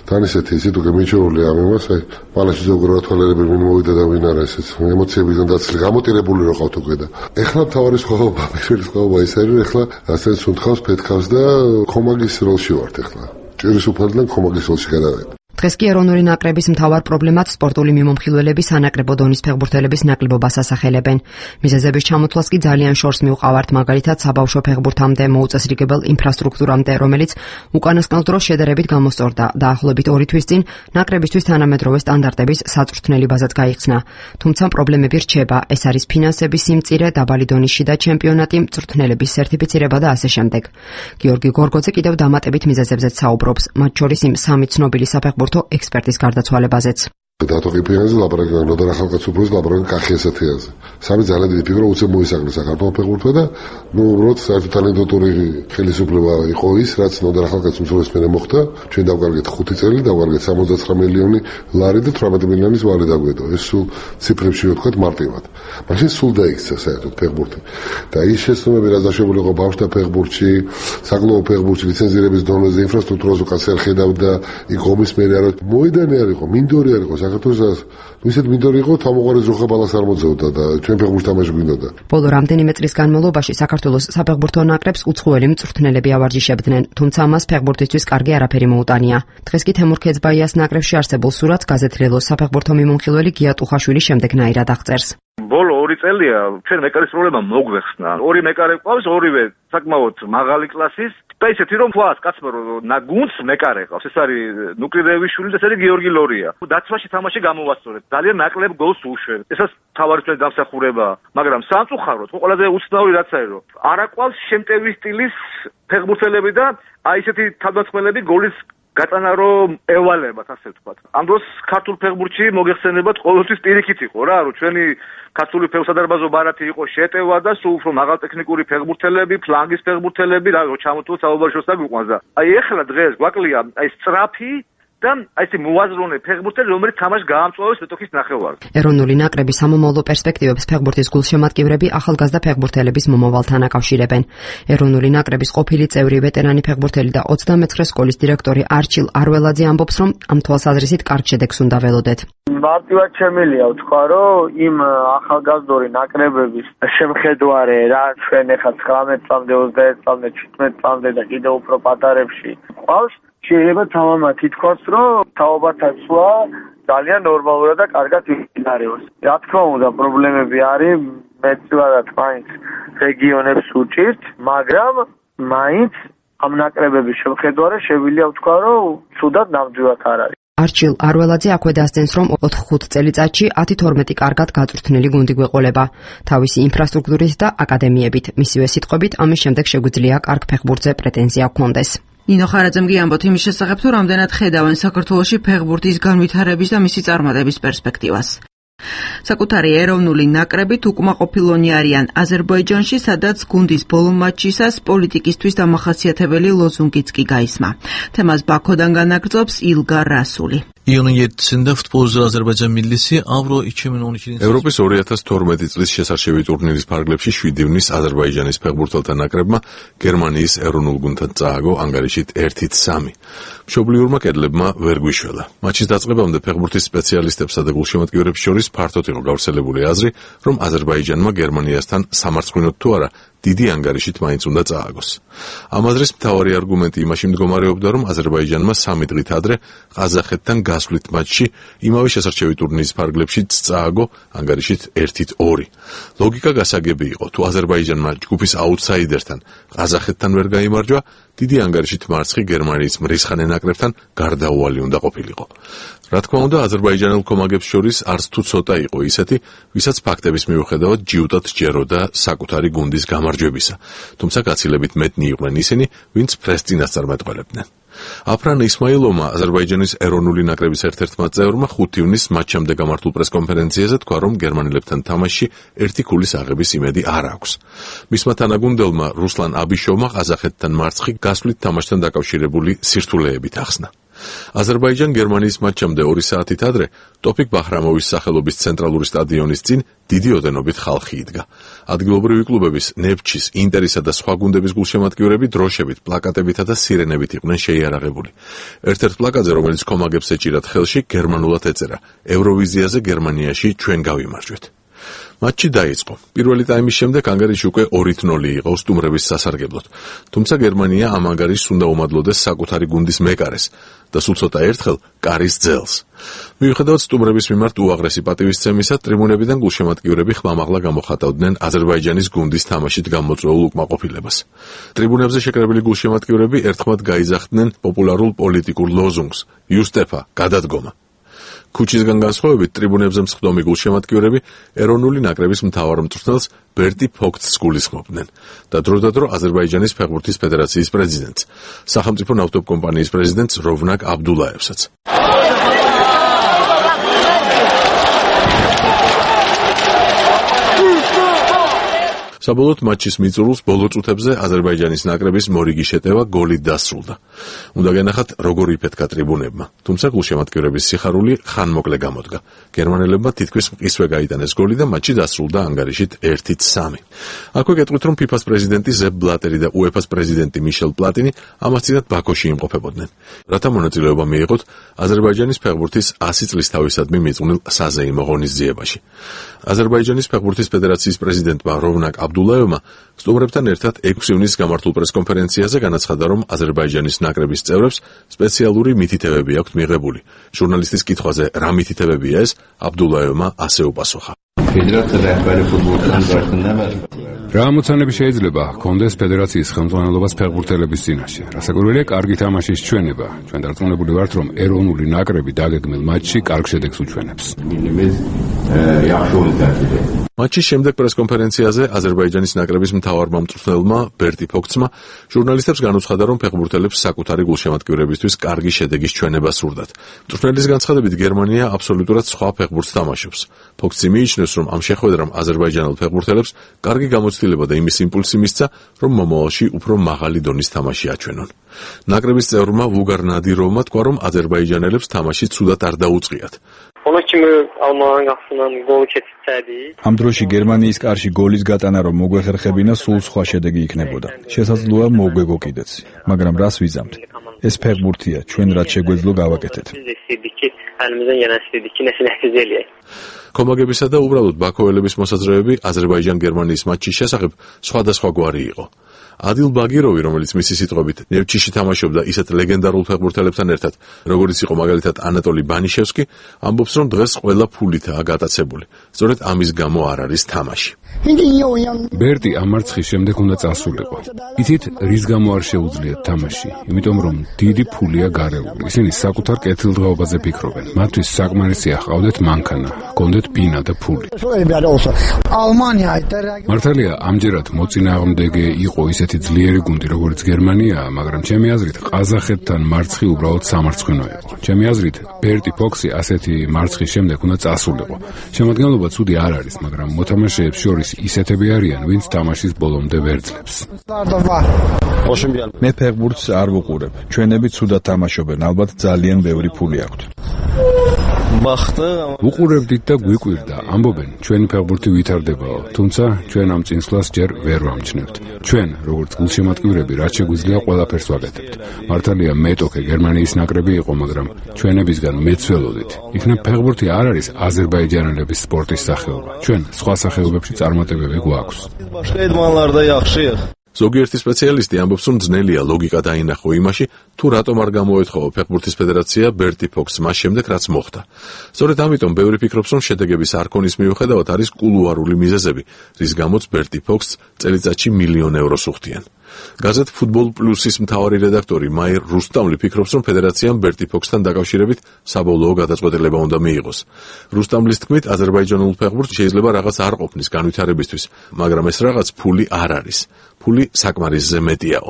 თან ისეთი ისე თუ გემიჩეული ამ იმას, აი მალაში ზოგადად თვალერები მინ მოვიდა და ვინ არა ესეც ემოციებიდან დაცლი გამოტირებული რო ყავთ უკვე და ეხლა მთავარი სხვაობა, პირველი სხვაობა ის არის, რომ ეხლა ასე სუნთქავს, ფეთქავს და ხომაგის როლში ვართ ეხლა. ჭირისოფალიდან ხომაგის როლში გადავედი. დღეს კი ეროვნული ნაკრების მთავარ პრობლემად სპორტული მიმოხილველების სანაკრებო დონის ფეხბურთელების ნაკლებობას ასახელებენ. მიზეზების ჩამოთვლას კი ძალიან შორს მიუყავართ, მაგალითად საბავშვო ფეხბურთამდე მოუწესრიგებელ ინფრასტრუქტურამდე, რომელიც უკანასკნელ დროს შედარებით გამოსწორდა. დაახლოებით ორი თვის წინ ნაკრებისთვის თანამედროვე სტანდარტების საწვრთნელი ბაზაც გაიხსნა. თუმცა პრობლემები რჩება, ეს არის ფინანსების სიმწირე, დაბალი დონის შიდა ჩემპიონატი, მწვრთნელების სერტიფიცირება და ასე შემდეგ. გიორგი გორგოძე კიდევ დამატებით მიზეზებზეც საუბრობს, მათ შორის იმ სამი ცნობილი საფეხბურთო ექსპერტის გარდაცვალებაზეც. დათოყიფიანზე ლაპარაკი ნოდარ ახალგაზრდობის ლაპარაკი კახიასათიაზე. სამი ძალიან დიდი ფიგურა უცებ მოისახდა საქართველოს ფეხბურთმა და ნუ უბრალოდ საერთოდ ტალენტური ხელისუფლება იყო ის, რაც ნოდარ ახალგაზრდობის მერე მოხდა. ჩვენ დავკარგეთ ხუთი წელი, დავკარგეთ სამოცდაცხრა მილიონი ლარი და თვრამეტი მილიონის ვალი დაგვედო. ეს სულ ციფრებში ვთქვათ მარტივად. მაშინ სულ დაიქცა საერთოდ ფეხბურთი. და ის შეცდომები, რაც დაშვებული იყო ბავშვთა ფეხბურთში, საკლუბო ფეხბურთში, ლიცენზირების დონეზე, ინფრასტრუქტურაზე კაც არ ხედავდა, იქ ომის მერე არ მოედანი არ იყო, მინდორი არ იყო. საქართველოს ისეთ მინდორი იყო, თამოყარის ზოხა ბალას არ მოძებდა და ჩვენ ფეხბურთს თამაში გვინდოდა. ბოლო რამდენიმე წლის განმავლობაში საქართველოს საფეხბურთო ნაკრებს უცხოელი მწვრთნელები ავარჯიშებდნენ, თუმცა მას ფეხბურთისთვის კარგი არაფერი მოუტანია. დღეს კი თემურ ქეძბაიას ნაკრებში არსებულ სურათს გაზეთ ლელოს საფეხბურთო მიმოხილველი გია ტუხაშვილი შემდეგნაირად აღწერს. ბოლო ორი წელია ჩვენ მეკარის პრობლემა მოგვეხსნა. ორი მეკარე ყავს, ორივე საკმაოდ მაღალი კლასის და ისეთი რომ თქვას კაცმა რომ ნაგუნს მეკარე ყავს. ეს არის ნუკრიდეევიშვილი და ეს არის გიორგი ლორია. დაცვაში თამაში გამოვასწორეთ. ძალიან ნაკლებ გოლს უშვებს. ესაც თავარი ჩვენი დამსახურება, მაგრამ სამწუხაროდ ყველაზე უცნაური რაც არის რომ არ აყვავს შემტევი სტილის ფეხბურთელები და აი ესეთი თავდამსხმელები გოლის გატანა რომ ევალებათ, ასე ვთქვათ. ამ დროს ქართულ ფეხბურთში მოგეხსენებათ ყოველთვის პირიქით იყო რა, რომ ჩვენი ქართული ფეხსადარბაზო ბარათი იყო შეტევა და სულ უფრო მაღალტექნიკური ფეხბურთელები, ფლანგის ფეხბურთელები და ჩამოთვლილ საუბარშოს დაგვიყვანს და აი ეხლა დღეს გვაკლია აი სწრაფი და აი ეს მოაზროვნე ფეხბურთელი, რომელიც თამაშს გაამწვავებს მეტოქის ნახევარს. ეროვნული ნაკრების სამომავლო პერსპექტივებს ფეხბურთის გულშემატკივრები ახალგაზრდა ფეხბურთელების მომავალთან აკავშირებენ. ეროვნული ნაკრების ყოფილი წევრი ვეტერანი ფეხბურთელი და ოცდამეცხრე სკოლის დირექტორი არჩილ არველაძე ამბობს, რომ ამ თვალსაზრისით კარგ შედეგს უნდა ველოდეთ. მარტივად შემიძლია ვთქვა, რომ იმ ახალგაზრდული ნაკრებების შემხედვარე რა ჩვენ ახლა ცხრამეტ წამდე, ოცდაერთ წამდე, შვიდმეტ წამდე და კიდევ უფრო პატარებში ყავს. შეიძლება თამამად ითქვას, რომ თაობათა ცვლა ძალიან ნორმალურად და კარგად იმდინარეობს. რა თქმა უნდა, პრობლემები არის, მეტწილად მაინც რეგიონებს უჭირთ, მაგრამ მაინც ამ ნაკრებების შემხედვარე შეგვიძლია ვთქვა, რომ ცუდად ნამდვილად არ არის. არჩილ არველაძე აქვე დასძენს, რომ ოთხ-ხუთ წელიწადში ათი თორმეტი კარგად გაწვრთნილი გუნდი გვეყოლება თავისი ინფრასტრუქტურით და აკადემიებით. მისივე სიტყვებით, ამის შემდეგ შეგვიძლია კარგ ფეხბურთზე პრეტენზია ჰქონდეს. ნინო ხარაძემ გიამბოთ იმის შესახებ, თუ რამდენად ხედავენ საქართველოში ფეხბურთის განვითარების და მისი წარმატების პერსპექტივას. საკუთარი ეროვნული ნაკრებით უკმაყოფილონი არიან აზერბაიჯანში, სადაც გუნდის ბოლო მატჩისას პოლიტიკისთვის დამახასიათებელი ლოზუნგიც კი გაისმა. თემას ბაქოდან განაგრძობს ილგარ რასული. ევროპის ორი ათას თორმეტი წლის შესარჩევი ტურნირის ფარგლებში შვიდი ივნის აზერბაიჯანის ფეხბურთელთა ნაკრებმა გერმანიის ეროვნულ გუნდთან წააგო ანგარიშით ერთით სამი. მშობლიურმა კედლებმა ვერ გვიშველა. მატჩის დაწყებამდე ფეხბურთის სპეციალისტებსა და გულშემატკივრებს შორის ფართოდ იყო გავრცელებული აზრი, რომ აზერბაიჯანმა გერმანიასთან სამარცხვინოდ თუ არა დიდი ანგარიშით მაინც უნდა წააგოს. ამ აზრის მთავარი არგუმენტი იმაში მდგომარეობდა, რომ აზერბაიჯანმა სამი დღით ადრე ყაზახეთთან გასვლით მატჩში იმავე შესარჩევი ტურნირის ფარგლებშიც წააგო ანგარიშით ერთით ორი. ლოგიკა გასაგები იყო, თუ აზერბაიჯანმა ჯგუფის აუტსაიდერთან ყაზახეთთან ვერ გაიმარჯვა, დიდი ანგარიშით მარცხი გერმანიის მრისხანე ნაკრებთან გარდაუვალი უნდა ყოფილიყო. რა თქმა უნდა, აზერბაიჯანელ კომაგებს შორის არც თუ ცოტა იყო ისეთი, ვისაც ფაქტების მიუხედავად ჯიუტად სჯეროდა საკუთარი გუნდის გამარჯვებისა, თუმცა გაცილებით მეტნი იყვნენ ისინი, ვინც ფრეს წინასწარმეტყველებდნენ. აფრან ისმაილოვმა, აზერბაიჯანის ეროვნული ნაკრების ერთ-ერთმა წევრმა ხუთი ივნის მატჩამდე გამართულ პრესკონფერენციაზე თქვა, რომ გერმანელებთან თამაშში ერთი ქულის აღების იმედი არ აქვს. მისმა თანაგუნდელმა რუსლან აბიშოვმა ყაზახეთთან მარცხი გასვლით თამაშთან დაკავშირებული სირთულეებით ახსნა. აზერბაიჯან-გერმანიის მატჩამდე ორი საათით ადრე ტოფიკ ბაჰრამოვის სახელობის ცენტრალური სტადიონის წინ დიდი ოდენობით ხალხი იდგა. ადგილობრივი კლუბების ნეფჩის, ინტერისა და სხვა გუნდების გულშემატკივრები დროშებით, პლაკატებითა და სირენებით იყვნენ შეიარაღებული. ერთ-ერთ პლაკატზე, რომელიც კომაგებს ეჭირათ ხელში, გერმანულად ეწერა: ევროვიზიაზე გერმანიაში ჩვენ გავიმარჯვეთ. მატჩი დაიწყო. პირველი ტაიმის შემდეგ ანგარიში უკვე ორით ნოლი იყო სტუმრების სასარგებლოდ. თუმცა გერმანია ამ ანგარიშს უნდა უმადლოდეს საკუთარი გუნდის მეკარეს და სულ ცოტა ერთხელ კარის ძელს. მიუხედავად სტუმრების მიმართ უაღრესი პატივისცემისა, ტრიბუნებიდან გულშემატკივრები ხმამაღლა გამოხატავდნენ აზერბაიჯანის გუნდის თამაშით გამოწვეულ უკმაყოფილებას. ტრიბუნებზე შეკრებილი გულშემატკივრები ერთხმად გაიძახდნენ პოპულარულ პოლიტიკურ ლოზუნგს: იუსტეფა, გადადგომა. ქუჩისგან განსხვავებით, ტრიბუნებზე მსხდომი გულშემატკივრები ეროვნული ნაკრების მთავარ მწვრთნელს ბერტი ფოქცს გულისხმობდნენ და დროდადრო აზერბაიჯანის ფეხბურთის ფედერაციის პრეზიდენტს, სახელმწიფო ნავთობკომპანიის პრეზიდენტს როვნაკ აბდულაევსაც. საბოლოოდ მატჩის მიწურულს ბოლო წუთებზე აზერბაიჯანის ნაკრების მორიგი შეტევა გოლით დასრულდა. უნდა გენახათ, როგორ იფეთქა ტრიბუნებმა, თუმცა გულშემატკივრების სიხარული ხანმოკლე გამოდგა. გერმანელებმა თითქმის მყისვე გაიტანეს გოლი და მატჩი დასრულდა ანგარიშით ერთით სამი. აქვე გეტყვით, რომ ფიფას პრეზიდენტი ზეპ ბლატერი და უეფას პრეზიდენტი მიშელ პლატინი ამას წინათ ბაქოში იმყოფებოდნენ. რათა მონაწილეობა მიიღოთ აზერბაიჯანის ფეხბურთის ასი წლის თავისადმი მიწვნილ საზეიმო ღონისძიებაში. აზერბაიჯანის ფეხბურთის ფედერაციის პრეზიდენტმა როვნაკ აბდულაევმა სტუმრებთან ერთად ექვსი ივნის გამართულ პრესკონფერენციაზე განაცხადა, რომ აზერბაიჯანის ნაკრების წევრებს სპეციალური მითითებები აქვთ მიღებული. ჟურნალისტის კითხვაზე, რა მითითებებია ეს, აბდულაევმა ასე უპასუხა: რა ამოცანები შეიძლება ჰქონდეს ფედერაციის ხელმძღვანელობას ფეხბურთელების წინაშე? რასაკვირველია, კარგი თამაშის ჩვენება. ჩვენ დარწმუნებული ვართ, რომ ეროვნული ნაკრები დაგეგმილ მატჩში კარგ შედეგს უჩვენებს. მატჩის შემდეგ პრესკონფერენციაზე აზერბაიჯანის ნაკრების მთავარმა მწვრთნელმა ბერტი ფოქცმა ჟურნალისტებს განუცხადა, რომ ფეხბურთელებს საკუთარი გულშემატკივრებისთვის კარგი შედეგის ჩვენება სურდათ. მწვრთნელის განცხადებით, გერმანია აბსოლუტურად სხვა ფეხბურთს თამაშობს. ფოქცი მიიჩნევს, რომ ამ შეხვედრამ აზერბაიჯანელ ფეხბურთელებს კარგი გამოცდილება და იმის იმპულსი მისცა, რომ მომავალში უფრო მაღალი დონის თამაში აჩვენონ. ნაკრების წევრმა ვუგარ ნადიროვმა თქვა, რომ აზერბაიჯანელებს თამაში ცუდად არ დაუწყიათ. ამ დროში გერმანიის კარში გოლის გატანა რომ მოგვეხერხებინა, სულ სხვა შედეგი იქნებოდა. შესაძლოა მოგვეგო კიდეც, მაგრამ რას ვიზამთ? ეს ფეხბურთია, ჩვენ რაც შეგვეძლო გავაკეთეთ. კომაგებისა და უბრალოდ ბაქოელების მოსაზრებები აზერბაიჯან-გერმანიის მატჩის შესახებ სხვადასხვაგვარი იყო. ადილ ბაგიროვი, რომელიც მისი სიტყვებით ნევჩიში თამაშობდა ისეთ ლეგენდარულ ფეხბურთელებთან ერთად, როგორიც იყო მაგალითად ანატოლი ბანიშევსკი, ამბობს, რომ დღეს ყველა ფულითაა გატაცებული. სწორედ ამის გამო არ არის თამაში. ბერტი ამ მარცხის შემდეგ უნდა წასულიყო. იცით, რის გამო არ შეუძლიათ თამაში? იმიტომ რომ დიდი ფულია გარეული. ისინი საკუთარ კეთილდღეობაზე ფიქრობენ. მათთვის საკმარისია ჰყავდეთ მანქანა, ჰქონდეთ ბინა და ფული. მართალია, ამჯერად მოწინააღმდეგე იყო ისეთი ძლიერი გუნდი, როგორც გერმანია, მაგრამ ჩემი აზრით ყაზახეთთან მარცხი უბრალოდ სამარცხინო იყო. ჩემი აზრით, ბერტი ფოქსი ასეთი მარცხის შემდეგ უნდა წასულიყო. შემადგენლობა ცუდი არ არის, მაგრამ მოთამაშეებს შორის ისეთები არიან, ვინც თამაშის ბოლომდე ვერძლებს. მე ფეხბურთს არ ვუყურებ. ჩვენები ცუდად თამაშობენ, ალბათ ძალიან ბევრი ფული აქვთ. უყურებდით და გვიკვირდა, ამბობენ, ჩვენი ფეხბურთი ვითარდებაო, თუმცა ჩვენ ამ წინსვლას ჯერ ვერ ვამჩნევთ. ჩვენ, როგორც გულშემატკივრები, რაც შეგვიძლია ყველაფერს ვაკეთებთ. მართალია მეტოქე გერმანიის ნაკრები იყო, მაგრამ ჩვენებისგან მეც ველოდით. იქნებ ფეხბურთი არ არის აზერბაიჯანელების სპორტის სახეობა. ჩვენ სხვა სახეობებში წარმატებები გვაქვს. ზოგიერთი სპეციალისტი ამბობს, რომ ძნელია ლოგიკა დაინახო იმაში, თუ რატომ არ გამოეთხოვა ფეხბურთის ფედერაცია ბერტი ფოქსს მას შემდეგ, რაც მოხდა. სწორედ ამიტომ ბევრი ფიქრობს, რომ შედეგების არ ქონის მიუხედავად არის კულუარული მიზეზები, რის გამოც ბერტი ფოქსს წელიწადში მილიონ ევროს უხდიან. გაზეთ ფუტბოლ პლუსის მთავარი რედაქტორი მაირ რუსტამლი ფიქრობს, რომ ფედერაციამ ბერტი ფოქსთან დაკავშირებით საბოლოო გადაწყვეტილება უნდა მიიღოს. რუსტამლის თქმით, აზერბაიჯანულ ფეხბურთს შეიძლება რაღაც არ ყოფნის განვითარებისთვის, მაგრამ ეს რაღაც ფული არ არის. ფული საკმარისზე მეტიაო.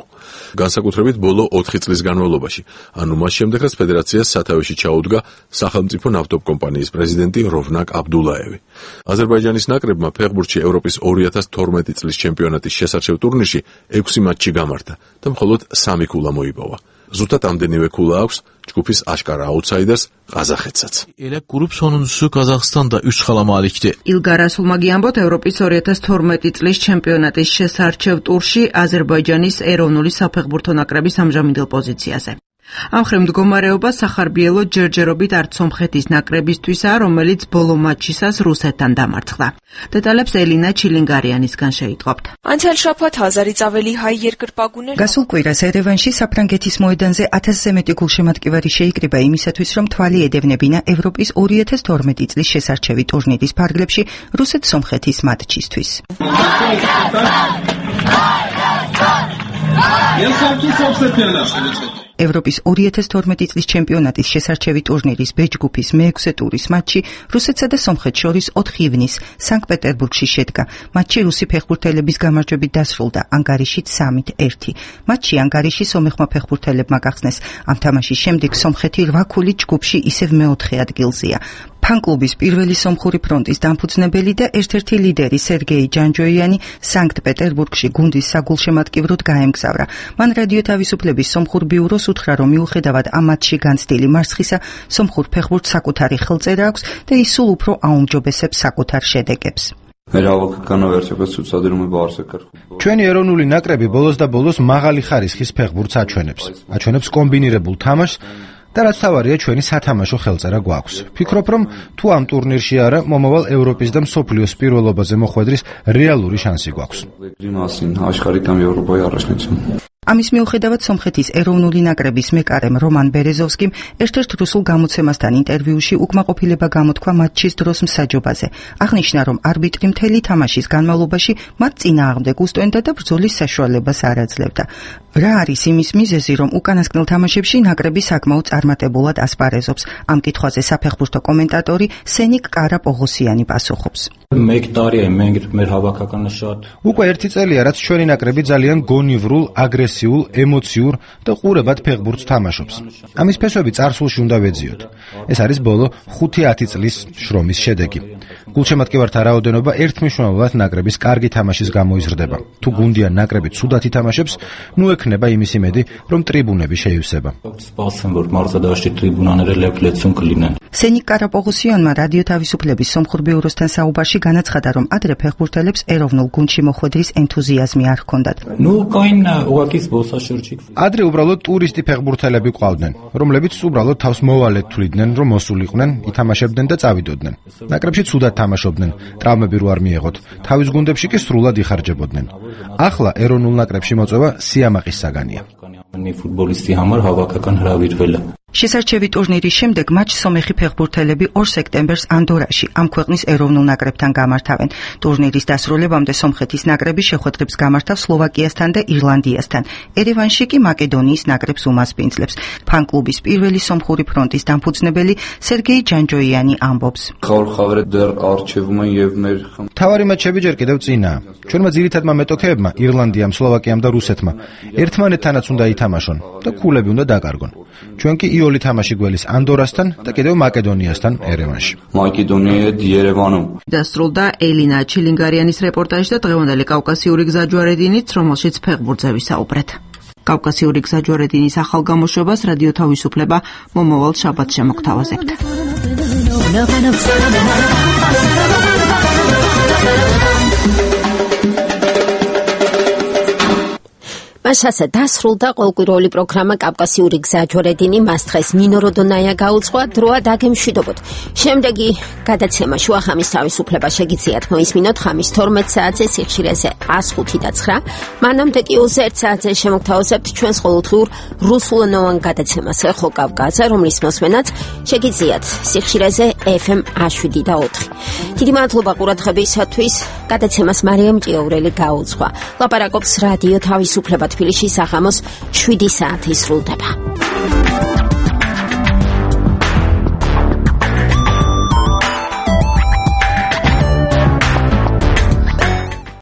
განსაკუთრებით ბოლო ოთხი წლის განმავლობაში, ანუ მას შემდეგ, რაც ფედერაციას სათავეში ჩაუდგა სახელმწიფო ნავთობკომპანიის პრეზიდენტი როვნაკ აბდულაევი. აზერბაიჯანის ნაკრებმა ფეხბურთში ევროპის ორი ათას თორმეტი წლის ჩემპიონატის შესარჩევ ტურნირში ექვსი მატჩი გამართა და მხოლოდ სამი ქულა მოიპოვა. ზუსტად ამდენივე ქულა აქვს ჯგუფის აშკარა აუთსაიდერს ყაზახეთსაც. Elə qrup sonuncusu Qazaxstan da üç xala malikdir. İlqar Rasulmagi ამბობთ ევროპის ორი ათას თორმეტი წლის ჩემპიონატის შესარჩევ ტურში აზერბაიჯანის ეროვნული საფეხბურთო ნაკრების ამჟამინდელ პოზიციაზე. ამ ხრივ მდგომარეობა სახარბიელო ჯერჯერობით არც სომხეთის ნაკრებისთვისაა, რომელიც ბოლო მატჩისას რუსეთთან დამარცხდა. დეტალებს ელინა ჩილინგარიანისგან შეიტყობთ. გასულ კვირას ერევანში საფრანგეთის მოედანზე ათასზე მეტი გულშემატკივარი შეიკრიბა იმისათვის, რომ თვალი ედევნებინა ევროპის ორი ათას თორმეტი წლის შესარჩევი ტურნირის ფარგლებში რუსეთ-სომხეთის მატჩისთვის. ევროპის ორი ათას თორმეტი წლის ჩემპიონატის შესარჩევი ტურნირის ბ ჯგუფის მეექვსე ტურის მატჩი რუსეთსა და სომხეთს შორის ოთხი ივნის სანქტ-პეტერბურგში შედგა. მატჩი რუსი ფეხბურთელების გამარჯვებით დასრულდა ანგარიშით სამით ერთი. მატჩი ანგარიში სომეხმა ფეხბურთელებმა გახსნეს. ამ თამაშის შემდეგ სომხეთი რვა ქულით ჯგუფში ისევ მეოთხე ადგილზეა. ფან-კლუბის პირველი სომხური ფრონტის დამფუძნებელი და ერთ-ერთი ლიდერი სერგეი ჯანჯოიანი სანქტ-პეტერბურგში გუნდის საგულშემატკივროდ გაემგზავრა. მან რადიო თავისუფლების სომხურ ბიუროს უთხრა, რომ მიუხედავად ამ მატჩში განცდილი მარცხისა, სომხურ ფეხბურთს საკუთარი ხელწერა აქვს და ის სულ უფრო აუმჯობესებს საკუთარ შედეგებს. ჩვენი ეროვნული ნაკრები ბოლოს და ბოლოს მაღალი ხარისხის ფეხბურთს აჩვენებს. აჩვენებს კომბინირებულ თამაშს და რაც თავარია ჩვენი სათამაშო ხელწერა გვაქვს. ფიქრობ, რომ თუ ამ ტურნირში არა, მომავალ ევროპის და მსოფლიოს პირველობაზე მოხვედრის რეალური შანსი გვაქვს. ამის მიუხედავად სომხეთის ეროვნული ნაკრების მეკარემ რომან ბერეზოვსკიმ ერთ-ერთ რუსულ გამოცემასთან ინტერვიუში უკმაყოფილება გამოთქვა მატჩის დროს მსაჯობაზე. აღნიშნა, რომ არბიტრი მთელი თამაშის განმავლობაში მათ წინააღმდეგ უსტვენდა და ბრძოლის საშუალებას არ აძლევდა. რა არის იმის მიზეზი, რომ უკანასკნელ თამაშებში ნაკრები საკმაოდ წარმატებულად ასპარეზობს? ამ კითხვაზე საფეხბურთო კომენტატორი სენიკ კარაპოღოსიანი პასუხობს. უკვე ერთი წელია, რაც ჩვენი ნაკრები ძალიან გონივრულ, აგრესიულ, ემოციურ და ყურებად ფეხბურთს თამაშობს. ამის ფესვები წარსულში უნდა ვეძიოთ. ეს არის ბოლო ხუთი ათი წლის შრომის შედეგი. გულშემატკივართა რაოდენობა ერთმნიშვნელოვნად ნაკრების კარგი თამაშის გამო იზრდება. თუ გუნდიან ნაკრები ცუდად ითამაშებს, ნუ ექნება იმის იმედი, რომ ტრიბუნები შეივსება. სენიკ კარაპოღოსიანმა რადიო თავისუფლების სომხურ ბიუროსთან საუბარში განაცხადა, რომ ადრე ფეხბურთელებს ეროვნულ გუნდში მოხვედრის ენთუზიაზმი არ ჰქონდათ. ადრე უბრალოდ ტურისტი ფეხბურთელები ყავდნენ, რომლებიც უბრალოდ თავს მოვალედ თვლიდნენ, რომ მოსულიყვნენ, ითამაშებდნენ და წავიდოდნენ. ნაკრებში ცუდად თამაშობდნენ, ტრავმები რო არ მიეღოთ, თავის გუნდებში კი სრულად იხარჯებოდნენ. ახლა ეროვნულ ნაკრებში მოწვევა სიამაყის საგანია. ფუტბოლისტი համար հավաքական հրավիրվել է. შესარჩევი ტურნირის შემდეგ матч სომეხი ფეხბურთელები ორ სექტემბერს ანდორაში ამ ქვეყნის ეროვნულ ნაკრებთან გამართავენ. ტურნირის დასრულებამდე სომხეთის ნაკრები შეხვედრებს გამართავს სლოვაკიასთან და ირლანდიასთან. ერევანში კი მაკედონიის ნაკრებს უმასპინძლებს. ფან-კლუბის პირველი სომხური ფრონტის დამფუძნებელი სერგეი ჯანჯოიანი ამბობს. ხავარ-ხავრე დარ არჩევმა եւ մեր თავარი მაჩები ჯერ კიდევ წინაა. ჩვენმა ძირითადმა მეტოქეებმა ირლანდიამ, სლოვაკიამ და რუსეთმა ერთმანეთთანაც უნდა ითამაშონ და ქულები უნდა დაკარგონ. ჩვენ კი იოლი თამაში გველის ანდორასთან და კიდევ მაკედონიასთან ერევანში. მაკედონია დიერევანო. დასრულდა ელინა ჩილინგარიანის რეპორტაჟი და დღევანდელი კავკასიური გზაჯვარედინით, რომელშიც ფეხბურთზე ვისაუბრეთ. კავკასიური გზაჯვარედინის ახალ გამოშვებას რადიო თავისუფლება მომავალ შაბათს შემოგთავაზებთ. მასასა დასრულდა ყოველკვირეული პროგრამა კავკასიური გზაჯვარედინი. მას დღეს ნინო როდონაია გაუძღვა, დროა დაგემშვიდობოთ. შემდეგი გადაცემა შუახამის თავისუფლება შეგიძლიათ მოისმინოთ ხამის თორმეტ საათზე სიხშირეზე ას ხუთი და ცხრა. მანამდე კი ოცი ერთ საათზე შემოგთავაზებთ ჩვენს ყოველდღიურ რუსულენოვან გადაცემას ეხო კავკასზე, რომლის მოსმენაც შეგიძლიათ სიხშირეზე ეფ ემ ას შვიდი და ოთხი. დიდი მადლობა ყურადღებისათვის. გადაცემას მარიამ ჭიაურელი გაუძღვა. ლაპარაკობს რადიო თავისუფლება თბილისში საღამოს შვიდი საათი სრულდება.